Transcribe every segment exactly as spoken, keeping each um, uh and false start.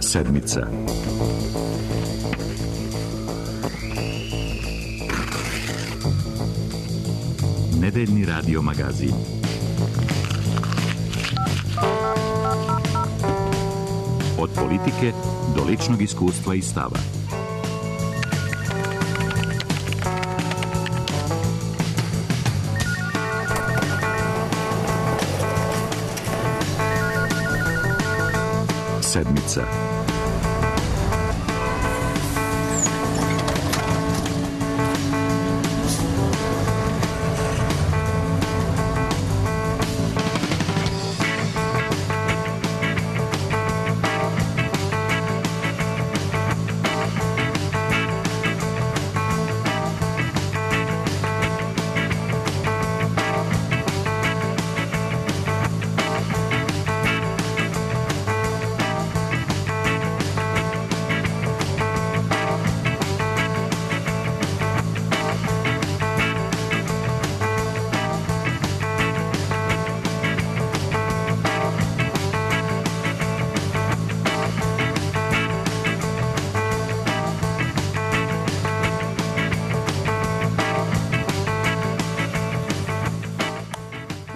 Sedmica. Nedeljni radio magazin. Od politike do ličnog iskustva i stava. Sedmica.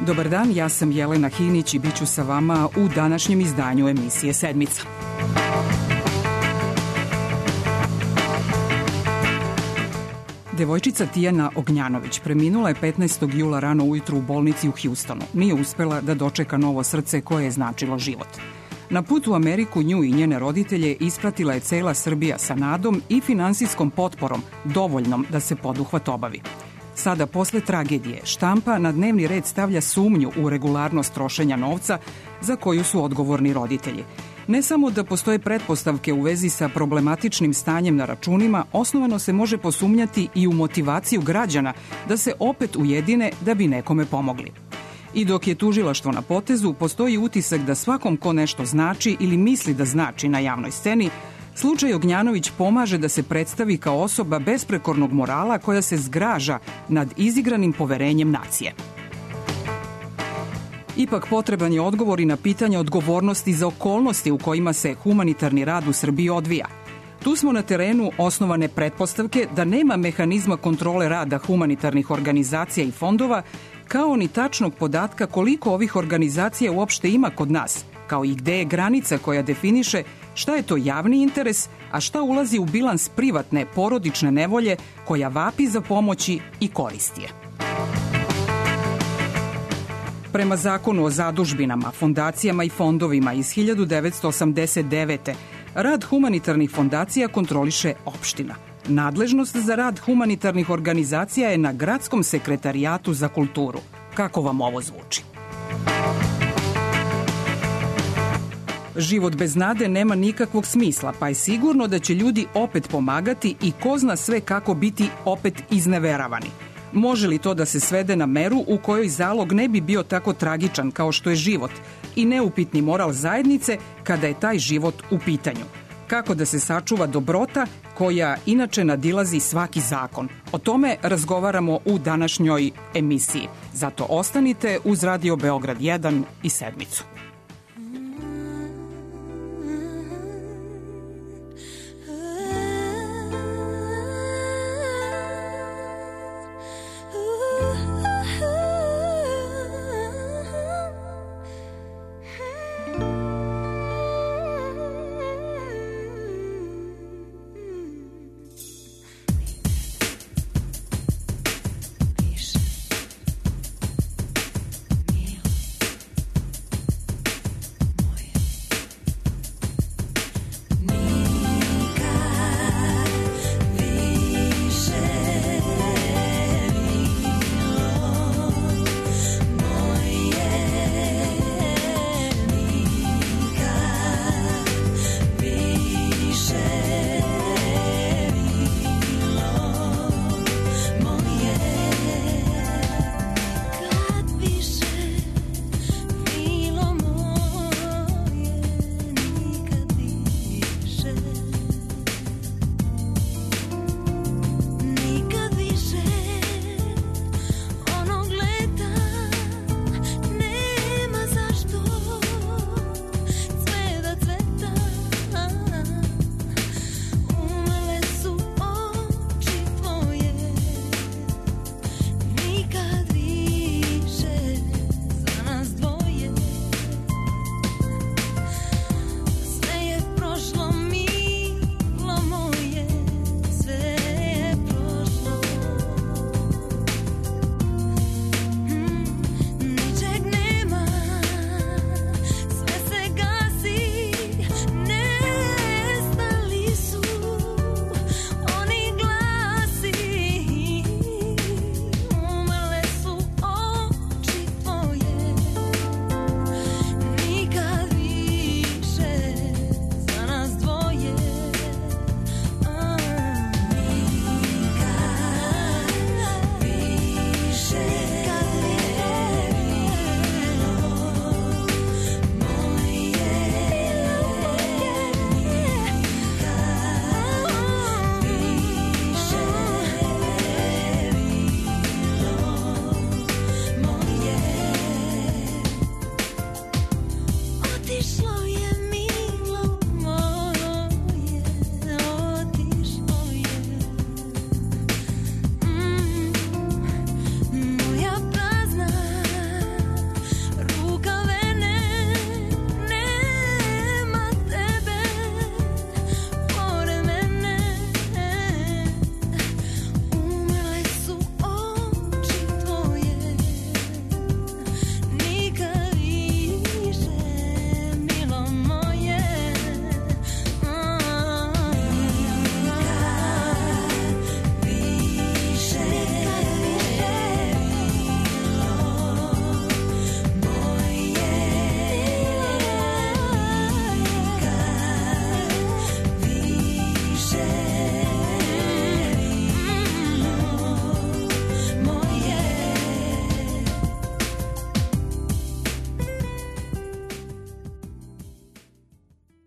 Dobar dan, ja sam Jelena Hinić i bit ću sa vama u današnjem izdanju emisije Sedmica. Devojčica Tijana Ognjanović preminula je petnaestog jula rano ujutru u bolnici u Hjustonu. Nije uspela da dočeka novo srce koje je značilo život. Na put u Ameriku nju i njene roditelje ispratila je cela Srbija sa nadom i finansijskom potporom, dovoljnom da se poduhvat obavi. Sada, posle tragedije, štampa na dnevni red stavlja sumnju u regularnost trošenja novca za koju su odgovorni roditelji. Ne samo da postoje pretpostavke u vezi sa problematičnim stanjem na računima, osnovano se može posumnjati i u motivaciju građana da se opet ujedine da bi nekome pomogli. I dok je tužilaštvo na potezu, postoji utisak da svakom ko nešto znači ili misli da znači na javnoj sceni, slučaj Ognjanović pomaže da se predstavi kao osoba besprekornog morala koja se zgraža nad izigranim poverenjem nacije. Ipak potreban je odgovor i na pitanje odgovornosti za okolnosti u kojima se humanitarni rad u Srbiji odvija. Tu smo na terenu osnovane pretpostavke da nema mehanizma kontrole rada humanitarnih organizacija i fondova, kao ni tačnog podatka koliko ovih organizacija uopšte ima kod nas, kao i gde je granica koja definiše šta je to javni interes, a šta ulazi u bilans privatne, porodične nevolje koja vapi za pomoći i koristi je. Prema zakonu o zadužbinama, fondacijama i fondovima iz hiljadu devetsto osamdeset devete. rad humanitarnih fondacija kontroliše opština. Nadležnost za rad humanitarnih organizacija je na Gradskom sekretarijatu za kulturu. Kako vam ovo zvuči? Život bez nade nema nikakvog smisla, pa je sigurno da će ljudi opet pomagati i ko zna sve kako biti opet izneveravani. Može li to da se svede na meru u kojoj zalog ne bi bio tako tragičan kao što je život i neupitni moral zajednice kada je taj život u pitanju? Kako da se sačuva dobrota koja inače nadilazi svaki zakon? O tome razgovaramo u današnjoj emisiji. Zato ostanite uz Radio Beograd jedan i Sedmicu.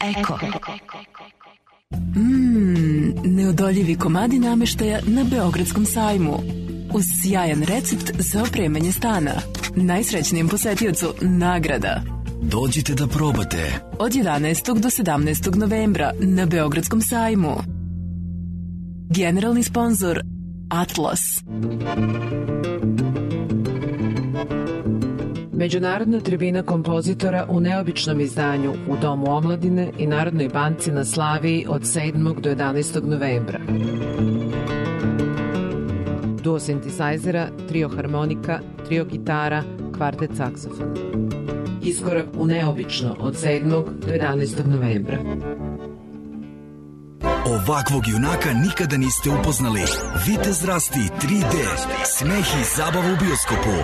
Eko. Mmm, neodoljivi komadi nameštaja na Beogradskom sajmu. Uz sjajan recept za opremanje stana. Najsrećnijem posetiocu nagrada. Dođite da probate. Od jedanaestog do sedamnaestog novembra na Beogradskom sajmu. Generalni sponzor Atlas. Međunarodna tribina kompozitora u neobičnom izdanju u Domu omladine i Narodnoj banci na Slaviji od sedmog do jedanaestog novembra. Duo sintesajzera, trio harmonika, trio gitara, kvartet saksofona. Iskorak u neobično od sedmog do jedanaestog novembra. Ovakvog junaka nikada niste upoznali. Vitez Rasti tri D. Smeh i zabava u bioskopu.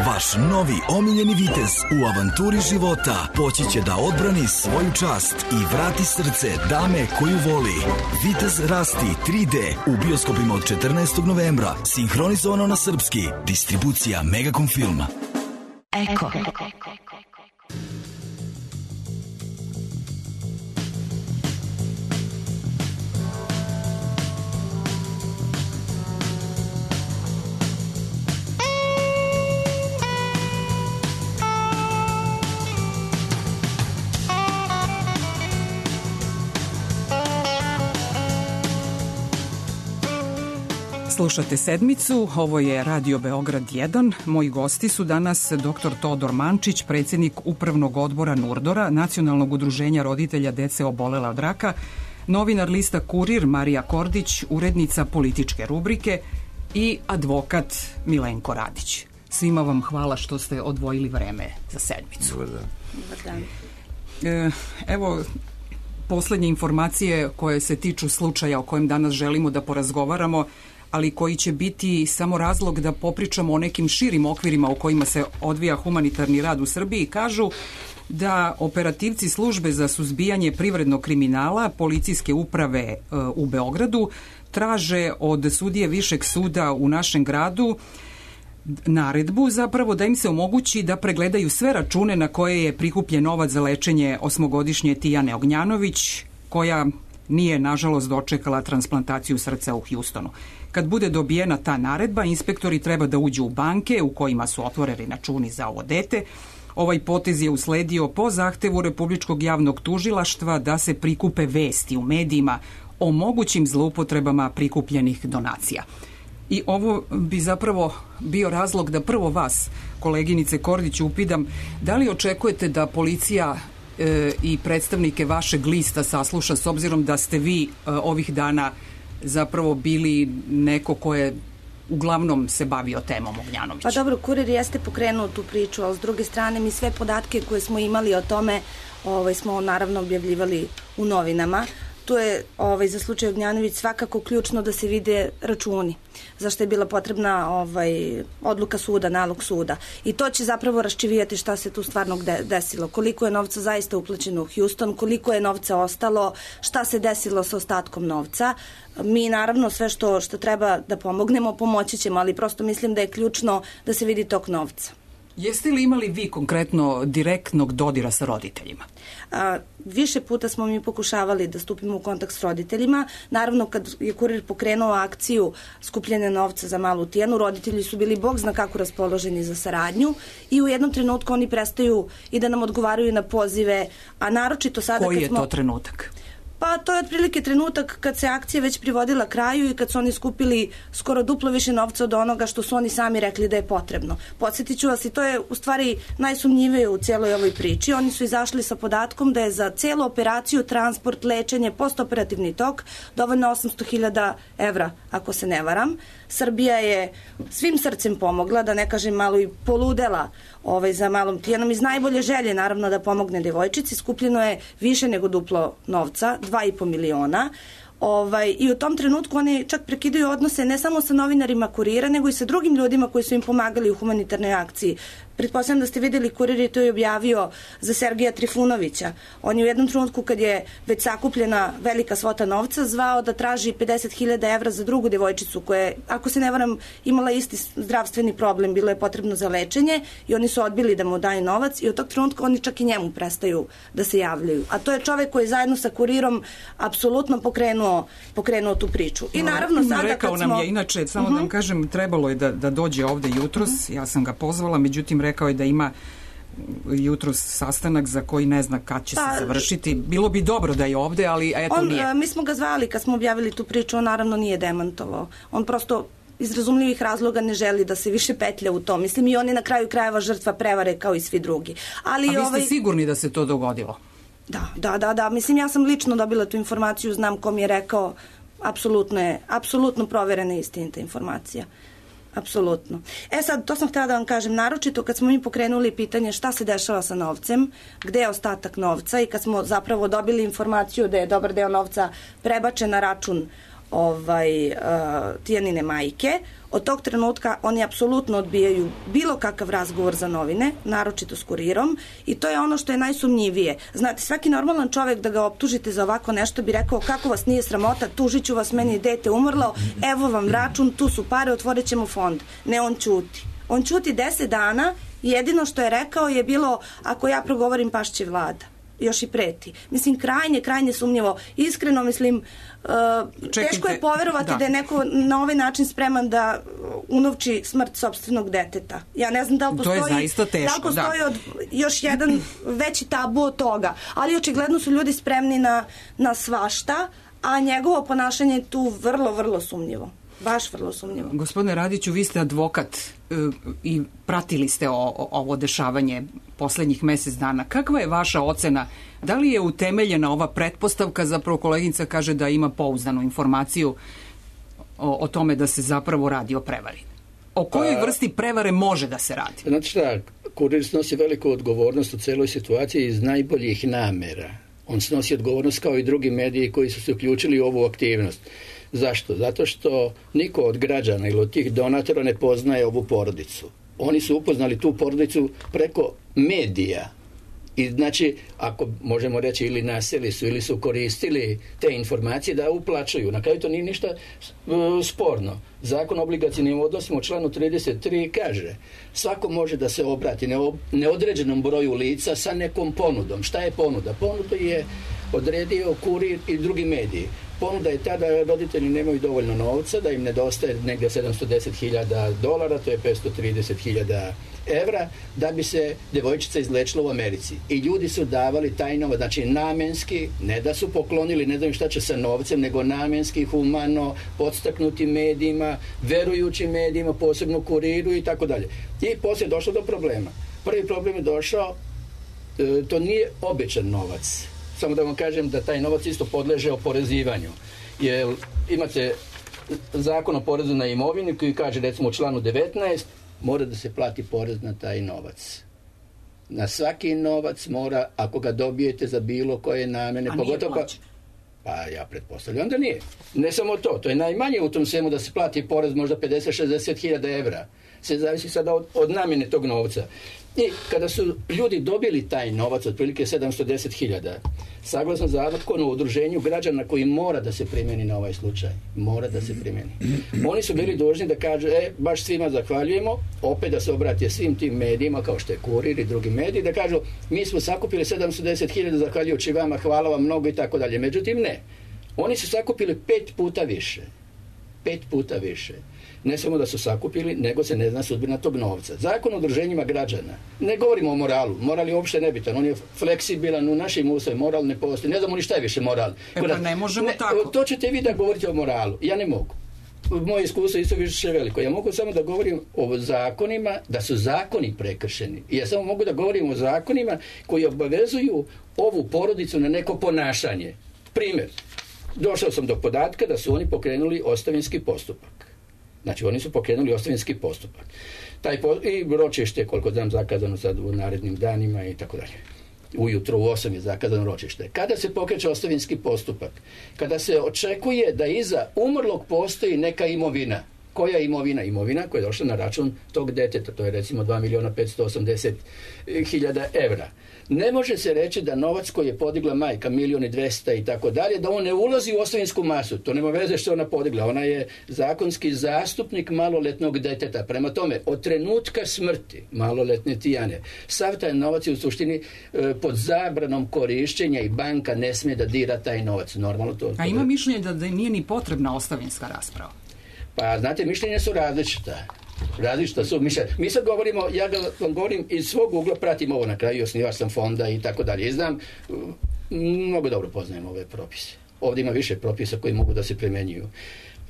Vaš novi omiljeni vitez u avanturi života poći će da odbrani svoju čast i vrati srce dame koju voli. Vitez Rasti tri D u bioskopima od četrnaestog novembra. Sinhronizovano na srpski. Distribucija Megacom Filma. Eko. Slušate Sedmicu, ovo je Radio Beograd jedan. Moji gosti su danas doktor Todor Mančić, predsjednik Upravnog odbora Nurdora, Nacionalnog udruženja roditelja dece obolela od raka, novinar lista Kurir Marija Kordić, urednica političke rubrike i advokat Milenko Radić. Svima vam hvala što ste odvojili vreme za Sedmicu. Dobar dan. Dobar dan. E, evo, poslednje informacije koje se tiču slučaja o kojem danas želimo da porazgovaramo, ali koji će biti samo razlog da popričamo o nekim širim okvirima u kojima se odvija humanitarni rad u Srbiji, kažu da operativci službe za suzbijanje privrednog kriminala policijske uprave u Beogradu traže od sudije Višeg suda u našem gradu naredbu zapravo da im se omogući da pregledaju sve račune na koje je prikupljen novac za lečenje osmogodišnje Tijane Ognjanović, koja nije, nažalost, dočekala transplantaciju srca u Hjustonu. Kad bude dobijena ta naredba, inspektori treba da uđu u banke u kojima su otvoreni računi za ovo dete. Ovaj potez je usledio po zahtevu Republičkog javnog tužilaštva da se prikupe vesti u medijima o mogućim zloupotrebama prikupljenih donacija. I ovo bi zapravo bio razlog da prvo vas, koleginice Kordić, upidam, da li očekujete da policija e, i predstavnike vašeg lista sasluša, s obzirom da ste vi e, ovih dana zapravo bili neko ko je uglavnom se bavio temom Ognjanović? Pa dobro, Kurir jeste pokrenuo tu priču, ali s druge strane mi sve podatke koje smo imali o tome ovaj, smo naravno objavljivali u novinama. Tu je ovaj, za slučaj Ognjanović svakako ključno da se vide računi, zašto je bila potrebna ovaj, odluka suda, nalog suda. I to će zapravo raščivijati šta se tu stvarno desilo, koliko je novca zaista uplaćeno u Houston, koliko je novca ostalo, šta se desilo sa ostatkom novca. Mi naravno sve što, što treba da pomognemo, pomoći ćemo, ali prosto mislim da je ključno da se vidi tok novca. Jeste li imali vi konkretno direktnog dodira sa roditeljima? A, više puta smo mi pokušavali da stupimo u kontakt s roditeljima. Naravno, kad je Kurir pokrenuo akciju skupljene novca za malu Tijanu, roditelji su bili bog zna kako raspoloženi za saradnju i u jednom trenutku oni prestaju i da nam odgovaraju na pozive, a naročito sada Koji kad smo... je to trenutak? Pa to je otprilike trenutak kad se akcija već privodila kraju i kad su oni skupili skoro duplo više novca od onoga što su oni sami rekli da je potrebno. Podsjetit ću vas, i to je u stvari najsumnjivije u cijeloj ovoj priči. Oni su izašli sa podatkom da je za cijelu operaciju, transport, lečenje, postoperativni tok dovoljno osamsto hiljada evra, ako se ne varam. Srbija je svim srcem pomogla, da ne kažem malo i poludela ovaj, za malom Tijanom, iz najbolje želje naravno da pomogne devojčici. Skupljeno je više nego duplo novca, dva i po miliona. Ovaj, I u tom trenutku oni čak prekidaju odnose ne samo sa novinarima Kurira, nego i sa drugim ljudima koji su im pomagali u humanitarnoj akciji. Pretpostavljam da ste videli, Kurir je to i objavio za Sergeja Trifunovića. On je u jednom trenutku, kad je već sakupljena velika svota novca, zvao da traži pedeset hiljada evra za drugu devojčicu koja je, ako se ne varam, imala isti zdravstveni problem, bilo je potrebno za lečenje i oni su odbili da mu daju novac i od tog trenutka oni čak i njemu prestaju da se javljaju. A to je čovek koji je zajedno sa Kurirom apsolutno pokrenuo, pokrenuo tu priču. I naravno sada rekao kad smo... nam je, inače, samo uh-huh. da vam kažem, trebalo je da, da dođe ovde jutros, uh-huh. ja sam ga pozvala, međutim rekao je da ima jutros sastanak za koji ne zna kad će pa, se završiti. Bilo bi dobro da je ovde, ali eto on, nije. Mi smo ga zvali kad smo objavili tu priču, on naravno nije demantovao. On prosto iz razumljivih razloga ne želi da se više petlja u to. Mislim, i on je na kraju krajeva žrtva prevare kao i svi drugi. Ali, A vi ste ovaj... sigurni da se to dogodilo? Da, da, da, da. Mislim, ja sam lično dobila tu informaciju, znam ko mi je rekao, apsolutno je, apsolutno proverena i istinita informacija. Apsolutno. E sad, to sam htjela da vam kažem, naročito kad smo mi pokrenuli pitanje šta se dešava sa novcem, gde je ostatak novca i kad smo zapravo dobili informaciju da je dobar deo novca prebačen na račun ovaj, uh, Tijanine majke, od tog trenutka oni apsolutno odbijaju bilo kakav razgovor za novine, naročito s Kurirom, i to je ono što je najsumnjivije. Znate, svaki normalan čovek da ga optužite za ovako nešto bi rekao kako vas nije sramota, tužit ću vas, meni je dete umrlo, evo vam račun, tu su pare, otvorit ćemo fond. Ne, on ćuti. On ćuti deset dana i jedino što je rekao je bilo, ako ja progovorim, pašće vlada. Još i preti. Mislim, krajnje, krajnje sumnjivo. Iskreno, mislim, uh, teško je poverovati da. da je neko na ovaj način spreman da unovči smrt sopstvenog deteta. Ja ne znam da li postoji, to je zaista teško, da li postoji da. od, još jedan veći tabu od toga. Ali očigledno su ljudi spremni na, na svašta, a njegovo ponašanje je tu vrlo, vrlo sumnjivo. Baš vrlo sumnjivo. Gospodine Radiću, vi ste advokat e, i pratili ste o, o, ovo dešavanje poslednjih mesec dana. Kakva je vaša ocena? Da li je utemeljena ova pretpostavka, zapravo koleginica kaže da ima pouzdanu informaciju o, o tome da se zapravo radi o prevari? O kojoj pa, vrsti prevare može da se radi? Znači šta, Kurir snosi veliku odgovornost u celoj situaciji iz najboljih namera. On snosi odgovornost kao i drugi mediji koji su se uključili u ovu aktivnost. Zašto? Zato što niko od građana ili od tih donatora ne poznaje ovu porodicu. Oni su upoznali tu porodicu preko medija. I znači, ako možemo reći ili naseli su ili su koristili te informacije da uplaćuju. Na kraju to nije ništa uh, sporno. Zakon o obligacijnim odnosima u članu trideset tri kaže svako može da se obrati neodređenom broju lica sa nekom ponudom. Šta je ponuda? Ponuda je odredio Kurir i drugi mediji. Ponuda je ta da roditelji nemaju dovoljno novca, da im nedostaje negdje sedamsto deset hiljada dolara, to je petsto trideset hiljada evra, da bi se devojčica izlečila u Americi. I ljudi su davali taj novac, znači namenski, ne da su poklonili, ne znam šta će sa novcem, nego namenski, humano, podstaknuti medijima, verujući medijima, posebno Kuriru i tako dalje. I poslije je došlo do problema. Prvi problem je došao, e, to nije običan novac. Samo da vam kažem da taj novac isto podleže oporezivanju. Jer imate zakon o porezu na imovinu koji kaže, recimo u članu devetnaest, mora da se plati porez na taj novac. Na svaki novac mora, ako ga dobijete za bilo koje namene, a pogotovo pa, pa ja pretpostavljam da nije. Ne samo to, to je najmanje u tom svemu da se plati porez možda pedeset do šezdeset hiljada evra. Se zavisi sada od, od namene tog novca. I kada su ljudi dobili taj novac, otprilike sedamsto deset hiljada, saglasno zakonu o udruženju građana koji mora da se primeni na ovaj slučaj, mora da se primeni. Oni su bili dužni da kažu, e, baš svima zahvaljujemo, opet da se obrate svim tim medijima, kao što je Kurir i drugi mediji, da kažu, mi smo sakupili sedamsto deset hiljada zahvaljujući vama, hvala vam mnogo i tako dalje. Međutim, ne. Oni su sakupili pet puta više. Pet puta više. Ne samo da su sakupili, nego se ne zna sudbina tog novca. Zakon o udruženjima građana, ne govorimo o moralu, moral je uopšte nebitan, on je fleksibilan u našim uslovima, moral ne postoji, ne znamo ni šta je više moral. E pa ne možemo ne, tako. To ćete vi da govorite o moralu, ja ne mogu. Moje iskustvo isto više veliko. Ja mogu samo da govorim o zakonima, da su zakoni prekršeni. I ja samo mogu da govorim o zakonima koji obavezuju ovu porodicu na neko ponašanje. Primjer, došao sam do podatka da su oni pokrenuli ostavinski postupak. Znači, oni su pokrenuli ostavinski postupak. Taj po, i ročište, koliko znam, zakazano sad u narednim danima i tako dalje. Ujutro u osam je zakazano ročište. Kada se pokreće ostavinski postupak? Kada se očekuje da iza umrlog postoji neka imovina. Koja je imovina? Imovina koja je došla na račun tog deteta, to je recimo dva miliona petsto osamdeset hiljada evra. Ne može se reći da novac koji je podigla majka, milion i dvesta i tako dalje, da on ne ulazi u ostavinsku masu. To nema veze što ona podigla. Ona je zakonski zastupnik maloletnog deteta. Prema tome, od trenutka smrti maloletne Tijane, sav taj novac je u suštini e, pod zabranom korišćenja i banka ne smije da dira taj novac. Normalno to... A ima mišljenje da, da nije ni potrebna ostavinska rasprava? Pa, znate, mišljenja su različita. Različita su mišljenja. Mi sad govorimo, ja ga vam govorim iz svog ugla, pratim ovo na kraju, osnivač sam fonda i tako dalje. I znam, mnogo dobro poznajem ove propise. Ovdje ima više propisa koji mogu da se primenjuju.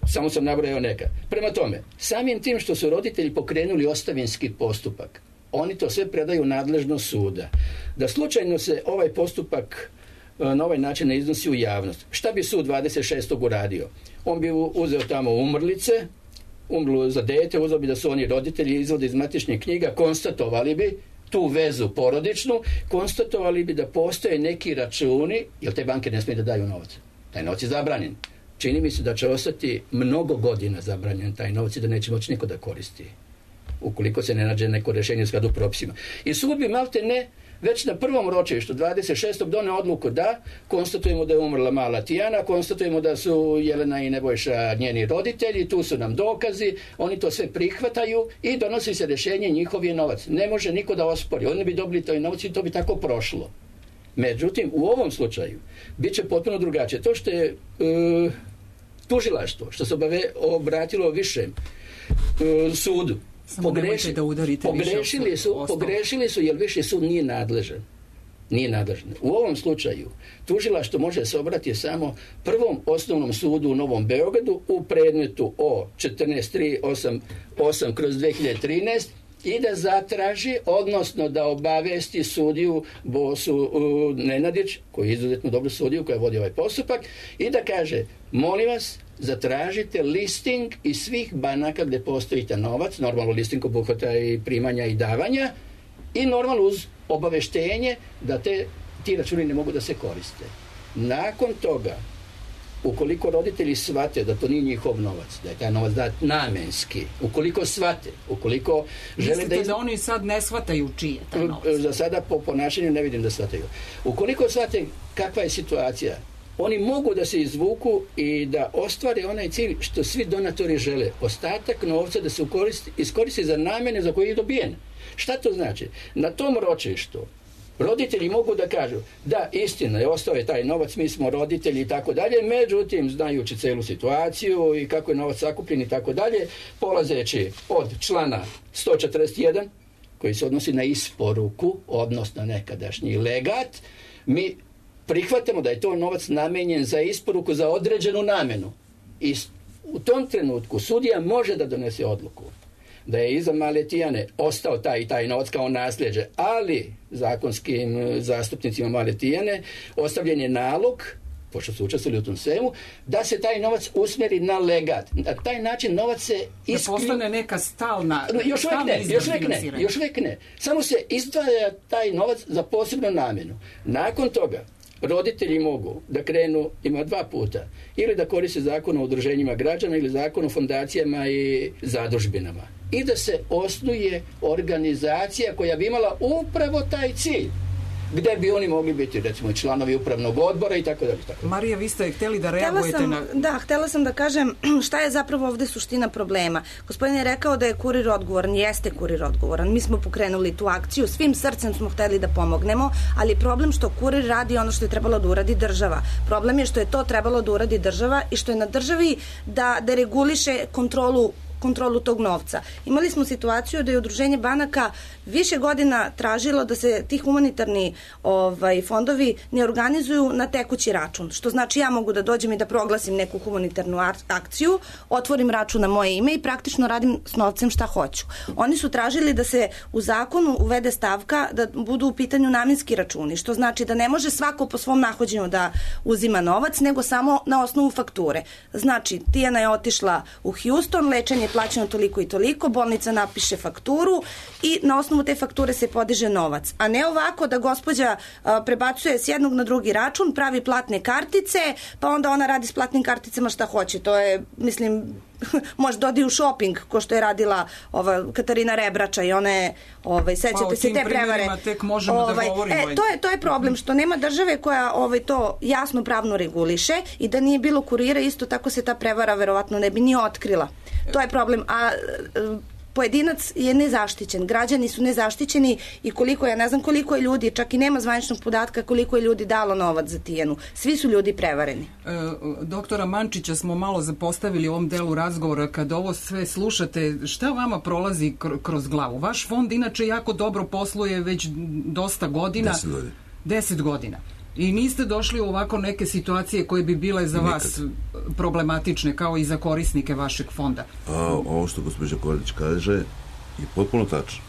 Samo sam nabrojao neka. Prema tome, samim tim što su roditelji pokrenuli ostavinski postupak, oni to sve predaju nadležno suda. Da slučajno se ovaj postupak na ovaj način ne iznosi u javnost. Šta bi sud dvadeset šestog uradio? On bi uzeo tamo umrlice, umrlo za dete, uzeo bi da su oni roditelji, izvode iz matičnih knjiga, konstatovali bi tu vezu porodičnu, konstatovali bi da postoje neki računi, jer te banke ne smije da daju novac. Taj novac je zabranjen. Čini mi se da će ostati mnogo godina zabranjen taj novac i da neće moći niko da koristi, ukoliko se ne nađe neko rješenje u skladu propisima. I sud bi malte ne već na prvom ročištu dvadeset šestog done odluku da konstatujemo da je umrla mala Tijana, konstatujemo da su Jelena i Nebojša njeni roditelji, tu su nam dokazi, oni to sve prihvataju i donosi se rješenje, njihov je novac. Ne može niko da ospori, oni bi dobili taj novac i to bi tako prošlo. Međutim, u ovom slučaju bit će potpuno drugačije. To što je e, tužilaštvo, što se obave, obratilo višem e, sudu, Pogreši, da pogrešili su, pogrešili su jer viši sud nije nadležan. Nije nadležan. U ovom slučaju tužilaštvo može se obratiti samo prvom osnovnom sudu u Novom Beogradu u predmetu o četrnaest tri osam kroz dve hiljade trinaeste i da zatraži, odnosno da obavesti sudiju Bosu uh, Nenadić, koji je izuzetno dobro sudiju, koja vodi ovaj postupak, i da kaže, molim vas, zatražite listing iz svih banaka gdje postoji ta novac, normalno listing obuhvata i primanja i davanja, i normalno uz obaveštenje da te, ti računi ne mogu da se koriste. Nakon toga, ukoliko roditelji shvate da to nije njihov novac, da je taj novac dat namenski, ukoliko shvate, ukoliko žele Mislite da... Iz... da oni sad ne shvataju čiji je taj novac? Za sada po ponašanju ne vidim da shvataju. Ukoliko shvate kakva je situacija, oni mogu da se izvuku i da ostvare onaj cilj što svi donatori žele. Ostatak novca da se iskoristi za namjene za koje je dobijen. Šta to znači? Na tom ročištu roditelji mogu da kažu da, istina je, ostao je taj novac, mi smo roditelji i tako dalje, međutim, znajući celu situaciju i kako je novac sakupljen i tako dalje, polazeći od člana sto četrdeset jedan, koji se odnosi na isporuku, odnosno nekadašnji legat, mi prihvatamo da je to novac namenjen za isporuku za određenu namjenu. I u tom trenutku sudija može da donese odluku da je iza male Tijane ostao taj i taj novac kao nasljeđe, ali zakonskim zastupnicima male Tijane ostavljen je nalog, pošto su učestvovali u tom svemu, da se taj novac usmjeri na legat. Na taj način novac se isključi... Da postane neka stalna... Još uvijek ne, još uvijek ne, još uvijek ne. Samo se izdvaja taj novac za posebnu namjenu. Nakon toga roditelji mogu da krenu, ima dva puta, ili da koriste zakon o udruženjima građana ili zakon o fondacijama i zadužbinama. I da se osnuje organizacija koja bi imala upravo taj cilj, gdje bi oni mogli biti, recimo, članovi upravnog odbora i tako dalje. Marija, vi ste htjeli da reagujete sam, na... Da, htjela sam da kažem šta je zapravo ovdje suština problema. Gospodin je rekao da je kurir odgovoran, jeste kurir odgovoran. Mi smo pokrenuli tu akciju, svim srcem smo htjeli da pomognemo, ali problem što kurir radi ono što je trebalo da uradi država. Problem je što je to trebalo da uradi država i što je na državi da, da reguliše kontrolu kontrolu tog novca. Imali smo situaciju da je udruženje banaka više godina tražilo da se ti humanitarni ovaj, fondovi ne organizuju na tekući račun. Što znači ja mogu da dođem i da proglasim neku humanitarnu akciju, otvorim račun na moje ime i praktično radim s novcem šta hoću. Oni su tražili da se u zakonu uvede stavka da budu u pitanju namjenski računi, što znači da ne može svako po svom nahođenju da uzima novac, nego samo na osnovu fakture. Znači, Tijana je otišla u Houston, lečenje je plaćeno toliko i toliko, bolnica napiše fakturu i na osnovu te fakture se podiže novac. A ne ovako da gospođa a, prebacuje s jednog na drugi račun, pravi platne kartice, pa onda ona radi s platnim karticama šta hoće. To je, mislim, može da odi u shopping, ko što je radila ova Katarina Rebrača i one, ovaj, sećate pa, se te prevare. Tek možemo ovaj, da govorimo. E, to je, to je problem, što nema države koja ovaj, to jasno pravno reguliše i da nije bilo kurira, isto tako se ta prevara verovatno ne bi ni otkrila. To je problem. A pojedinac je nezaštićen, građani su nezaštićeni i koliko, ja ne znam koliko je ljudi, čak i nema zvaničnog podatka koliko je ljudi dalo novac za Tijanu. Svi su ljudi prevareni. E, doktora Mančića smo malo zapostavili u ovom delu razgovora. Kad ovo sve slušate, šta vama prolazi kroz glavu? Vaš fond inače jako dobro posluje već dosta godina. Deset godina. Deset godina. I niste došli u ovako neke situacije koje bi bile za Nikad. vas problematične, kao i za korisnike vašeg fonda? A, ovo što gospođa Kordić kaže je potpuno tačno.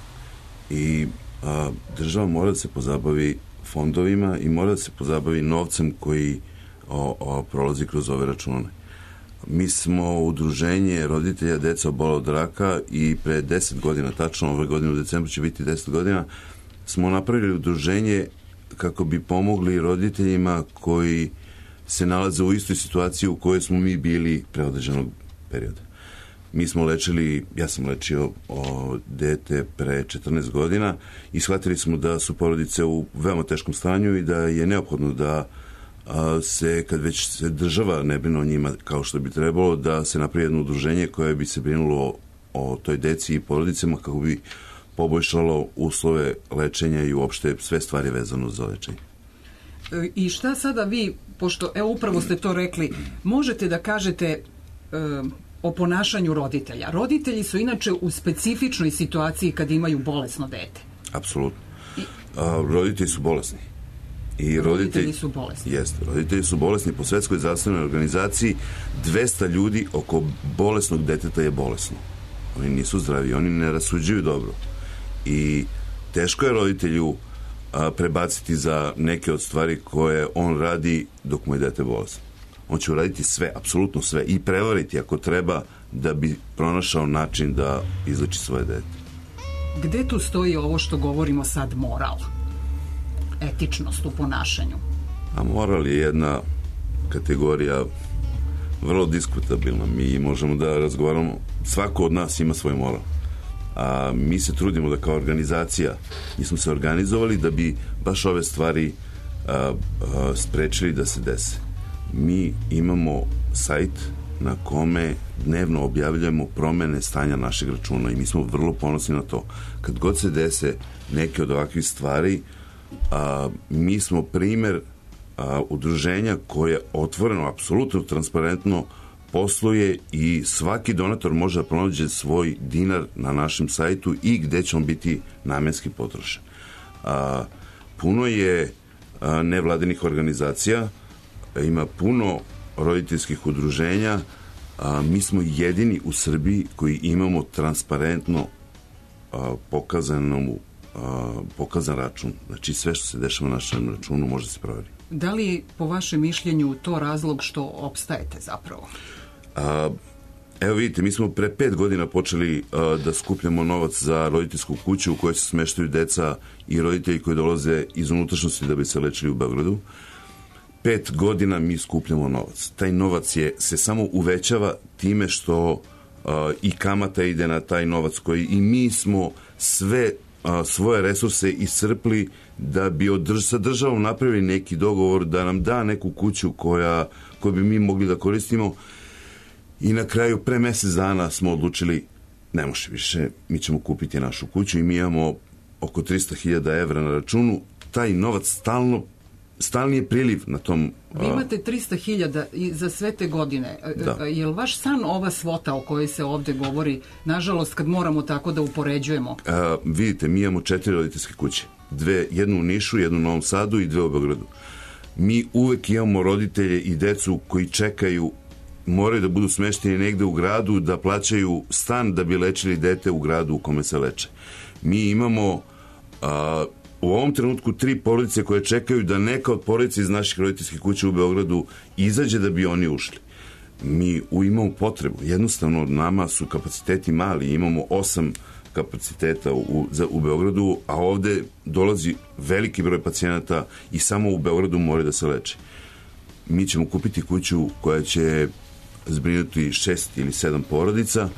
I a, država mora da se pozabavi fondovima i mora da se pozabavi novcem koji o, o, prolazi kroz ove račune. Mi smo udruženje roditelja deca obola od raka i pre deset godina, tačno ove godine u decembru će biti deset godina, smo napravili udruženje kako bi pomogli roditeljima koji se nalaze u istoj situaciji u kojoj smo mi bili pre određenog perioda. Mi smo lečili, ja sam lečio o, dete pre četrnaest godina i shvatili smo da su porodice u veoma teškom stanju i da je neophodno da a, se, kad već se država ne brine o njima kao što bi trebalo, da se napravi jedno udruženje koje bi se brinulo o, o toj deci i porodicama kako bi poboljšalo uslove lečenja i uopšte sve stvari vezano za lečenje. I šta sada vi, pošto, evo upravo ste to rekli, možete da kažete e, o ponašanju roditelja? Roditelji su inače u specifičnoj situaciji kad imaju bolesno dete. Apsolutno. A, roditelji su bolesni. I roditelji, roditelji su bolesni. Jeste, roditelji su bolesni. Po Svetskoj zdravstvenoj organizaciji dvesta ljudi oko bolesnog deteta je bolesno. Oni nisu zdravi, oni ne rasuđuju dobro. I teško je roditelju a, prebaciti za neke od stvari koje on radi dok mu je dete bolesno. On će uraditi sve, apsolutno sve i prevariti ako treba da bi pronašao način da izleči svoje dete. Gde tu stoji ovo što govorimo sad, moral? Etičnost u ponašanju? A moral je jedna kategorija vrlo diskutabilna. Mi možemo da razgovaramo, svako od nas ima svoj moral. A mi se trudimo da kao organizacija, mi smo se organizovali da bi baš ove stvari a, a, sprečili da se dese. Mi imamo sajt na kome dnevno objavljujemo promene stanja našeg računa i mi smo vrlo ponosni na to. Kad god se dese neke od ovakvih stvari, a, mi smo primer a, udruženja koje otvoreno, apsolutno transparentno posluje i svaki donator može da pronađe svoj dinar na našem sajtu i gde će on biti namenski potrošen. A, puno je a, nevladinih organizacija, ima puno roditeljskih udruženja, a, mi smo jedini u Srbiji koji imamo transparentno a, pokazanu, a, pokazan račun. Znači sve što se dešava na našem računu može se provjeriti. Da li po vašem mišljenju to razlog što opstajete zapravo? A, evo vidite, mi smo pre pet godina počeli a, da skupljamo novac za roditeljsku kuću u kojoj se smeštaju deca i roditelji koji dolaze iz unutrašnjosti da bi se lečili u Beogradu. Pet godina mi skupljamo novac. Taj novac je, se samo uvećava time što a, i kamata ide na taj novac koji i mi smo sve a, svoje resurse iscrpli da bi održ, sa državom napravili neki dogovor da nam da neku kuću koja, koju bi mi mogli da koristimo. I na kraju, pre mesec dana smo odlučili, ne može više, mi ćemo kupiti našu kuću i mi imamo oko trista hiljada evra na računu. Taj novac stalno, stalni je priliv na tom... Vi imate trista hiljada za sve te godine. Da. Je li vaš san ova svota o kojoj se ovde govori, nažalost, kad moramo tako da upoređujemo? A, vidite, mi imamo četiri roditeljske kuće. Dve, jednu u Nišu, jednu u Novom Sadu i dve u Beogradu. Mi uvek imamo roditelje i decu koji čekaju, moraju da budu smešteni negde u gradu, da plaćaju stan da bi lečili dete u gradu u kome se leče. Mi imamo a, u ovom trenutku tri porodice koje čekaju da neka od porodice iz naših roditeljskih kuća u Beogradu izađe da bi oni ušli. Mi u, imamo potrebu. Jednostavno, nama su kapaciteti mali. Imamo osam kapaciteta u, za, u Beogradu, a ovde dolazi veliki broj pacijenata i samo u Beogradu moraju da se leče. Mi ćemo kupiti kuću koja će zbrinuti šest ili sedam porodica,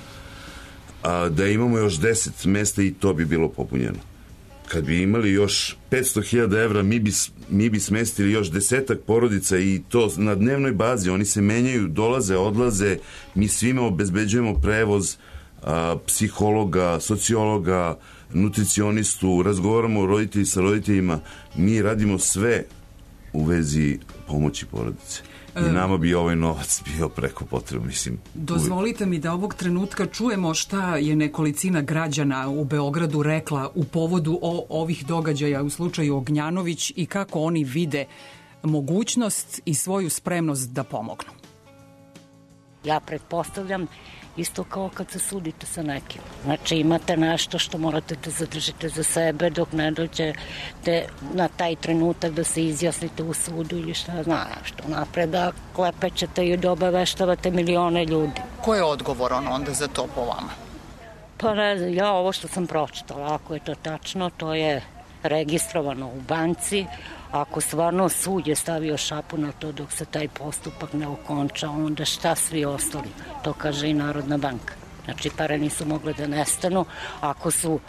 a da imamo još deset mesta i to bi bilo popunjeno. Kad bi imali još petsto hiljada evra, mi bi, mi bi smestili još desetak porodica i to na dnevnoj bazi. Oni se menjaju, dolaze, odlaze, mi svima obezbeđujemo prevoz, a, psihologa, sociologa, nutricionistu, razgovaramo roditelji sa roditeljima, mi radimo sve u vezi pomoći porodice. I nama bi ovaj novac bio preko potreba, mislim. Dozvolite mi da ovog trenutka čujemo šta je nekolicina građana u Beogradu rekla u povodu o ovih događaja u slučaju Ognjanović i kako oni vide mogućnost i svoju spremnost da pomognu. Ja pretpostavljam isto kao kad se sudite sa nekim. Znači imate nešto što morate da zadržite za sebe dok ne dođete na taj trenutak da se izjasnite u sudu ili šta znam što napred da klepećete i da obaveštavate milione ljudi. Ko je odgovoran onda za to po vama? Pa ne znam, ja ovo što sam pročitala, ako je to tačno, to je registrovano u banci. Ako stvarno sud je stavio šapu na to dok se taj postupak ne okonča, onda šta svi ostali? To kaže i Narodna banka. Znači, pare nisu mogle da nestanu. Ako su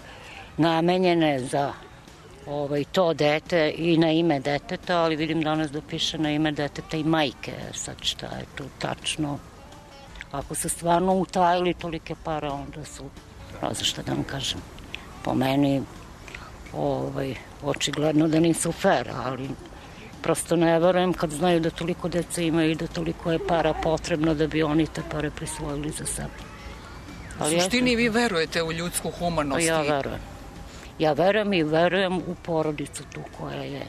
namenjene za ovaj, to dete i na ime deteta, ali vidim danas da piše na ime deteta i majke. Sad šta je tu tačno? Ako su stvarno utajili tolike pare, onda su, ne znam šta da vam kažem, po meni ovaj, očigledno da nisu fair, ali prosto ne verujem kad znaju da toliko dece imaju i da toliko je para potrebno da bi oni te pare prisvojili za sebe. Ali u suštini ja, vi verujete u ljudsku humanost? Ja verujem. Ja verujem i verujem u porodicu tu koja je,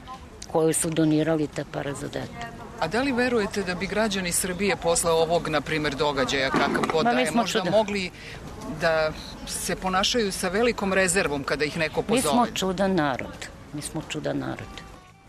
koju su donirali te pare za dete. A da li verujete da bi građani Srbije posle ovog, na primjer, događaja kakav god da je možda čudan. mogli da se ponašaju sa velikom rezervom kada ih neko pozove? Mi smo čudan narod. Mi smo čudan narod.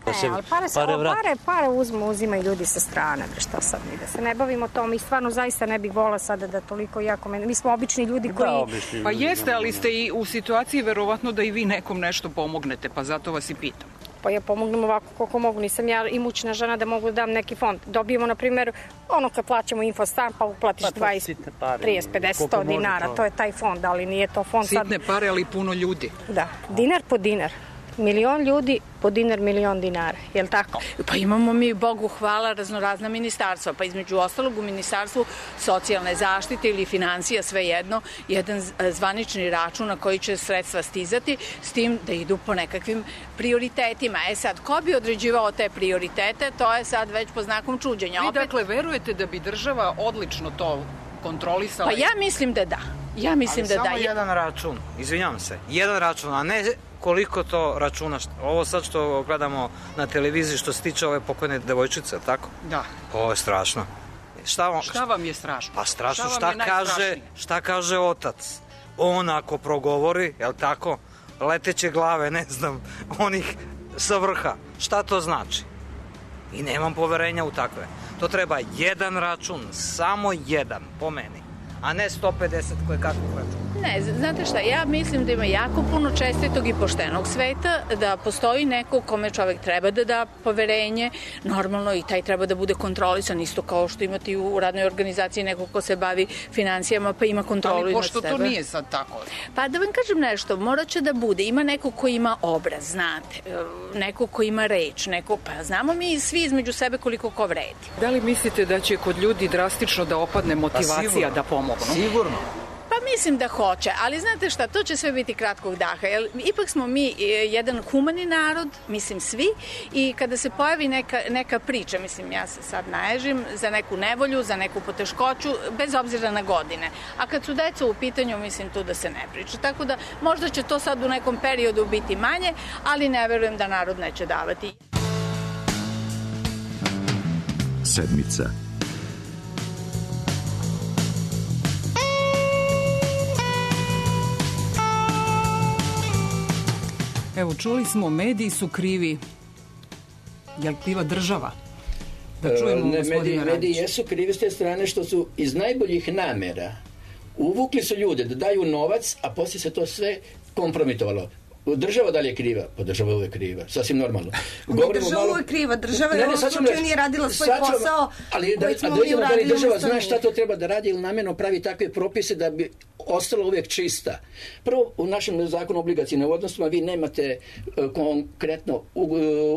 Ne, ali pare, pare, pare, pare uzmu, uzimaju ljudi sa strane, šta sad mi, da se ne bavimo tom i stvarno zaista ne bih vola sada da toliko jako mene, mi smo obični ljudi koji... Da, obični, pa jeste, ali ste i u situaciji verovatno da i vi nekom nešto pomognete, pa zato vas i pitam. Pa ja pomognem ovako koliko mogu, nisam ja imućna žena da mogu da dam neki fond. Dobijemo, na primjer, ono kad plaćamo infostan, pa uplatiš pa, dvadeset, trideset, pedeset, sto dinara, to je taj fond, ali nije to fond Sitne sad... Sitne pare, ali puno ljudi. Da, dinar po dinar. Milion ljudi po dinar, milion dinara, je li tako? Pa imamo mi, Bogu hvala, raznorazna ministarstva, pa između ostalog u Ministarstvu socijalne zaštite ili financija, svejedno, jedan zvanični račun na koji će sredstva stizati, s tim da idu po nekakvim prioritetima. E sad, ko bi određivao te prioritete, to je sad već po znakom čuđenja. Vi Opet... dakle verujete da bi država odlično to kontrolisala? Pa ja mislim da da. Ja mislim ali da da. Ali samo jedan račun, izvinjam se, jedan račun, a ne koliko to računa, ovo sad što gledamo na televiziji što se tiče ove pokojne devojčice, tako? Da. Ovo je strašno. Šta vam, šta vam je strašno? Pa strašno, šta, šta kaže, šta kaže otac? On ako progovori, jel tako, leteće glave, ne znam, onih sa vrha, šta to znači? I nemam poverenja u takve. To treba jedan račun, samo jedan, po meni, a ne sto pedeset koje kakvog računa. Ne, znate šta, ja mislim da ima jako puno čestitog i poštenog sveta, da postoji neko kome čovek treba da da poverenje, normalno i taj treba da bude kontrolisan, isto kao što imate u radnoj organizaciji neko ko se bavi financijama pa ima kontrolu nad sebe. Ali pošto to nije sad tako? Pa da vam kažem nešto, morat će da bude, ima neko ko ima obraz, znate, neko ko ima reč, neko, pa znamo mi svi između sebe koliko ko vredi. Da li mislite da će kod ljudi drastično da opadne motivacija pa da pomognu? Sigurno. Pa mislim da hoće, ali znate šta, to će sve biti kratkog daha, jer ipak smo mi jedan humani narod, mislim svi, i kada se pojavi neka, neka priča, mislim ja se sad naježim, za neku nevolju, za neku poteškoću, bez obzira na godine. A kad su deca u pitanju, mislim tu da se ne priča. Tako da možda će to sad u nekom periodu biti manje, ali ne verujem da narod neće davati. Sedmica. Evo, čuli smo, mediji su krivi. Je li kriva država? Da čujemo ne, gospodina mediji, Radića. mediji jesu krivi s te strane što su iz najboljih namera uvukli su ljude da daju novac, a poslije se to sve kompromitovalo. Država da li je kriva? Pa država je uvek kriva, sasvim normalno. Govorimo država malo... uvek kriva, država je u ovom slučaju nije radila svoj sačuva, posao ali da, koji smo mi uradili. Ali država ustanu. Zna šta to treba da radi ili namjerno pravi takve propise da bi ostala uvijek čista. Prvo, u našem zakonu o obligacijnim odnosima vi nemate uh, konkretno uh,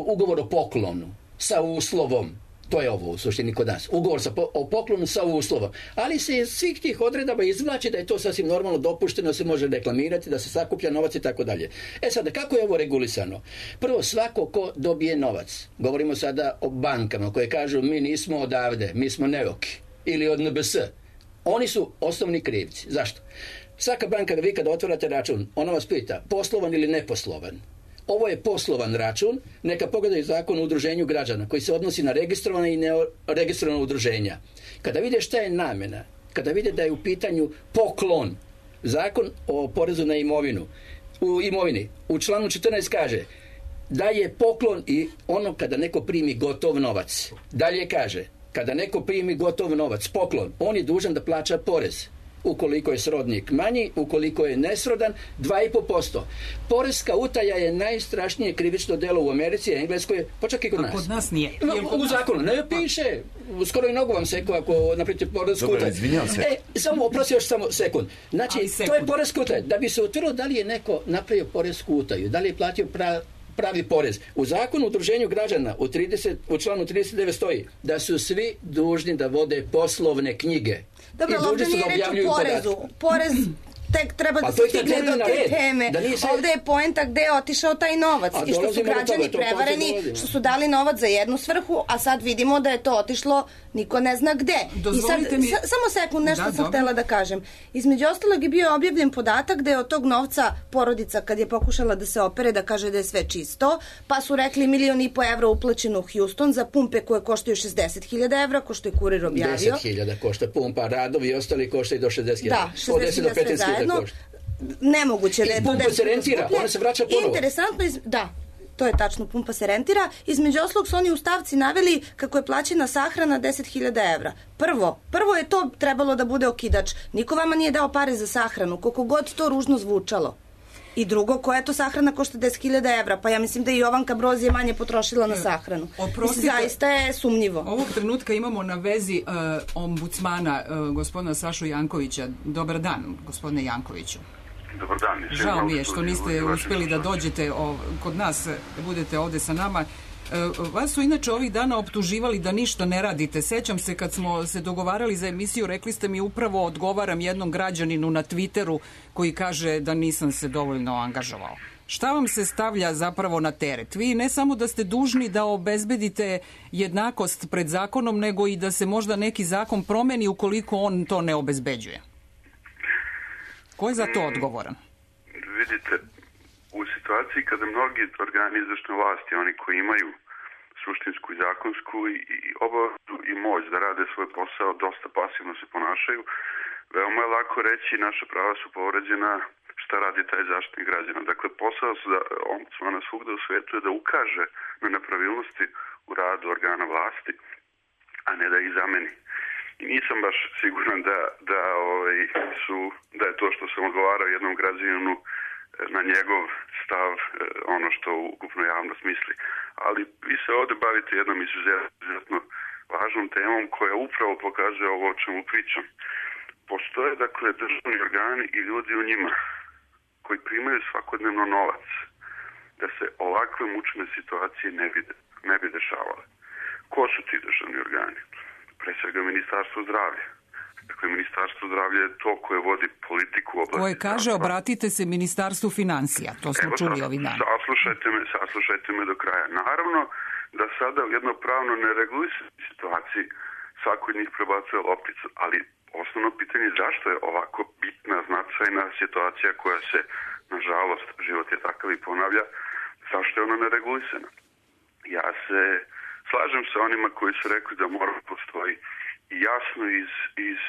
ugovor o poklonu sa uslovom. To je ovo u suštini kod nas. Ugovor sa po, o poklonu sa uslovom. Ali se iz svih tih odredaba izvlači da je to sasvim normalno dopušteno, da se može reklamirati, da se sakuplja novac i tako dalje. E sada, kako je ovo regulisano? Prvo, svako ko dobije novac, govorimo sada o bankama koje kažu mi nismo odavde, mi smo neuki, ili od N B S, oni su osnovni krivci. Zašto? Svaka banka, vi kada otvarate račun, ona vas pita poslovan ili neposlovan. Ovo je poslovan račun, neka pogledaju zakon o udruženju građana koji se odnosi na registrovana i neregistrovana udruženja. Kada vide šta je namena, kada vide da je u pitanju poklon, zakon o porezu na imovinu, u imovini, u članu četrnaest kaže da je poklon i ono kada neko primi gotov novac. Dalje kaže, kada neko primi gotov novac, poklon, on je dužan da plaća porez. Ukoliko je srodnik manji, ukoliko je nesrodan, dva i po posto. Poreska utaja je najstrašnije krivično delo u Americi, Engleskoj, pa čak i kod nas. A kod nas nije. U, u zakonu ne piše. Skoro i nogu vam seku ako napravite poresku utaju. Dobro, izvinjam se. E, samo, oprosti još samo sekund. Znači, sekund. To je poreska utaja. Da bi se utvrdilo da li je neko napravio poresku utaju, da li je platio pra, pravi porez. U zakonu o udruženju građana u, trideset, u članu trideset devet stoji da su svi dužni da vode poslovne knjige. Dobro, ovdje nije reč o porezu. Porez tek treba da se stigne do te teme. Se... Ovdje je poenta gde je otišao taj novac i što su građani prevareni, što su dali novac za jednu svrhu, a sad vidimo da je to otišlo niko ne zna gde. Dozvolite I sad, mi... sa, samo sekund, nešto da, sam dobro. htjela da kažem. Između ostalog je bio objavljen podatak da je od tog novca porodica kad je pokušala da se opere, da kaže da je sve čisto, pa su rekli milion i po evra uplaćeno u Houston za pumpe koje koštaju šezdeset hiljada evra, ko što je Kurir objavio. deset hiljada košta pumpa, radovi i ostali koštaju do šezdeset hiljada. Da, šezdeset hiljada sve zajedno. Nemoguće da je to pumpa se rentira, ona se vraća ponovo. Interesantno, iz... da, to je tačno, pumpa se rentira. Između oslog su oni u stavci naveli kako je plaćena sahrana deset hiljada evra. Prvo, prvo je to trebalo da bude okidač. Niko vama nije dao pare za sahranu, koliko god to ružno zvučalo. I drugo, koja je to sahrana košta deset hiljada evra? Pa ja mislim da i Jovanka Broz je manje potrošila na sahranu. Oprostite, mislim, zaista je sumnjivo. Ovog trenutka imamo na vezi uh, ombudsmana uh, gospodina Sašu Jankovića. Dobar dan, gospodine Jankoviću. Dobar dan. Žao mi je što niste uspjeli da dođete o, kod nas, da budete ovdje sa nama. E, vas su inače ovih dana optuživali da ništa ne radite. Sećam se kad smo se dogovarali za emisiju, rekli ste mi upravo odgovaram jednom građaninu na Twitteru koji kaže da nisam se dovoljno angažovao. Šta vam se stavlja zapravo na teret? Vi ne samo da ste dužni da obezbedite jednakost pred zakonom, nego i da se možda neki zakon promeni ukoliko on to ne obezbeđuje. Ko je za to odgovoran? Vidite, u situaciji kada mnogi organi izvršne vlasti, oni koji imaju suštinsku i zakonsku i obavezu i moć da rade svoj posao, dosta pasivno se ponašaju, veoma je lako reći naša prava su povređena, šta radi taj zaštitnik građana. Dakle, posao za ombudsmana svugde u svetu je da ukaže na nepravilnosti u radu organa vlasti, a ne da ih zameni. I nisam baš siguran da, da, ovaj, su, da je to što sam odgovarao jednom građaninu na njegov stav ono što ukupno javnost misli. Ali vi se ovdje bavite jednom izuzetno važnom temom koja upravo pokazuje ovo o čemu pričam. Postoje, dakle, državni organi i ljudi u njima koji primaju svakodnevno novac da se ovakve mučne situacije ne bi, ne bi dešavale. Ko su ti državni organi? Pre svega Ministarstvo zdravlja. Dakle, Ministarstvo zdravlja je to koje vodi politiku u oblasti koje kaže zdravstva. Obratite se Ministarstvu financija. To smo Evo, čuli ovih dana. Saslušajte me, saslušajte me do kraja. Naravno da sada u jednopravno neregulisanoj situaciji svako od njih prebacuje lopticu, ali osnovno pitanje je zašto je ovako bitna, značajna situacija koja se, nažalost, život je takav i ponavlja, zašto je ona neregulisana? Ja se slažem sa onima koji su rekli da mora postoji jasno iz, iz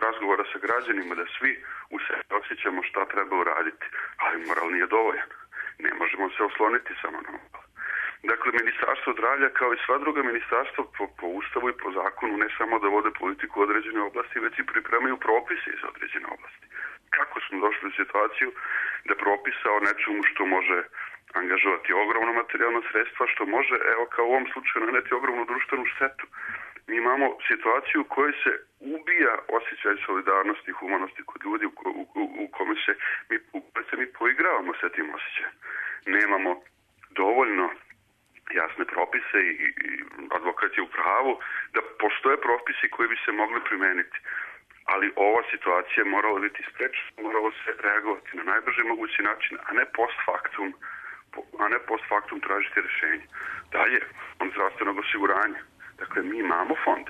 razgovora sa građanima da svi u sebi osjećamo šta treba uraditi, ali moral nije dovoljan. Ne možemo se osloniti samo na moral. Dakle, Ministarstvo zdravlja kao i sva druga ministarstva po, po ustavu i po zakonu ne samo da vode politiku u određene oblasti, već i pripremaju propise iz određene oblasti. Kako smo došli u situaciju da propisa o nečemu što može angažovati ogromno materijalno sredstva, što može, evo kao u ovom slučaju, naneti ogromnu društvenu štetu. Mi imamo situaciju u kojoj se ubija osjećaj solidarnosti i humanosti kod ljudi u, u, u, u kome se mi, u kome se mi poigravamo sa tim osjećajem. Nemamo dovoljno jasne propise i, i advokat je u pravu da postoje propisi koji bi se mogli primeniti. Ali ova situacija morala biti sprečena, moralo se reagovati na najbrži mogući način, a ne post factum, a ne post factum tražiti rješenje. Dalje, on zdravstvenog osiguranja. Dakle, mi imamo fond.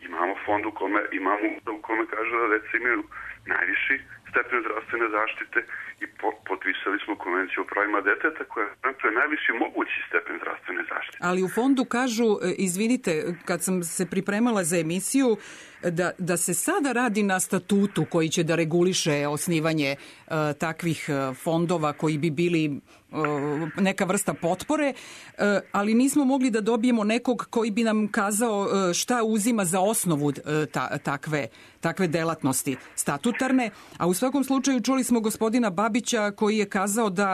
Imamo fond u kome, imamo u kome kaže da deca imaju najviši stepen zdravstvene zaštite i po, potpisali smo konvenciju o pravima deteta koja je najviši mogući stepen zdravstvene zaštite. Ali u fondu kažu, izvinite, kad sam se pripremala za emisiju, da, da se sada radi na statutu koji će da reguliše osnivanje uh, takvih fondova koji bi bili uh, neka vrsta potpore, uh, ali nismo mogli da dobijemo nekog koji bi nam kazao uh, šta uzima za osnovu uh, ta, takve, takve delatnosti statutarne, a u svakom slučaju čuli smo gospodina Babića koji je kazao da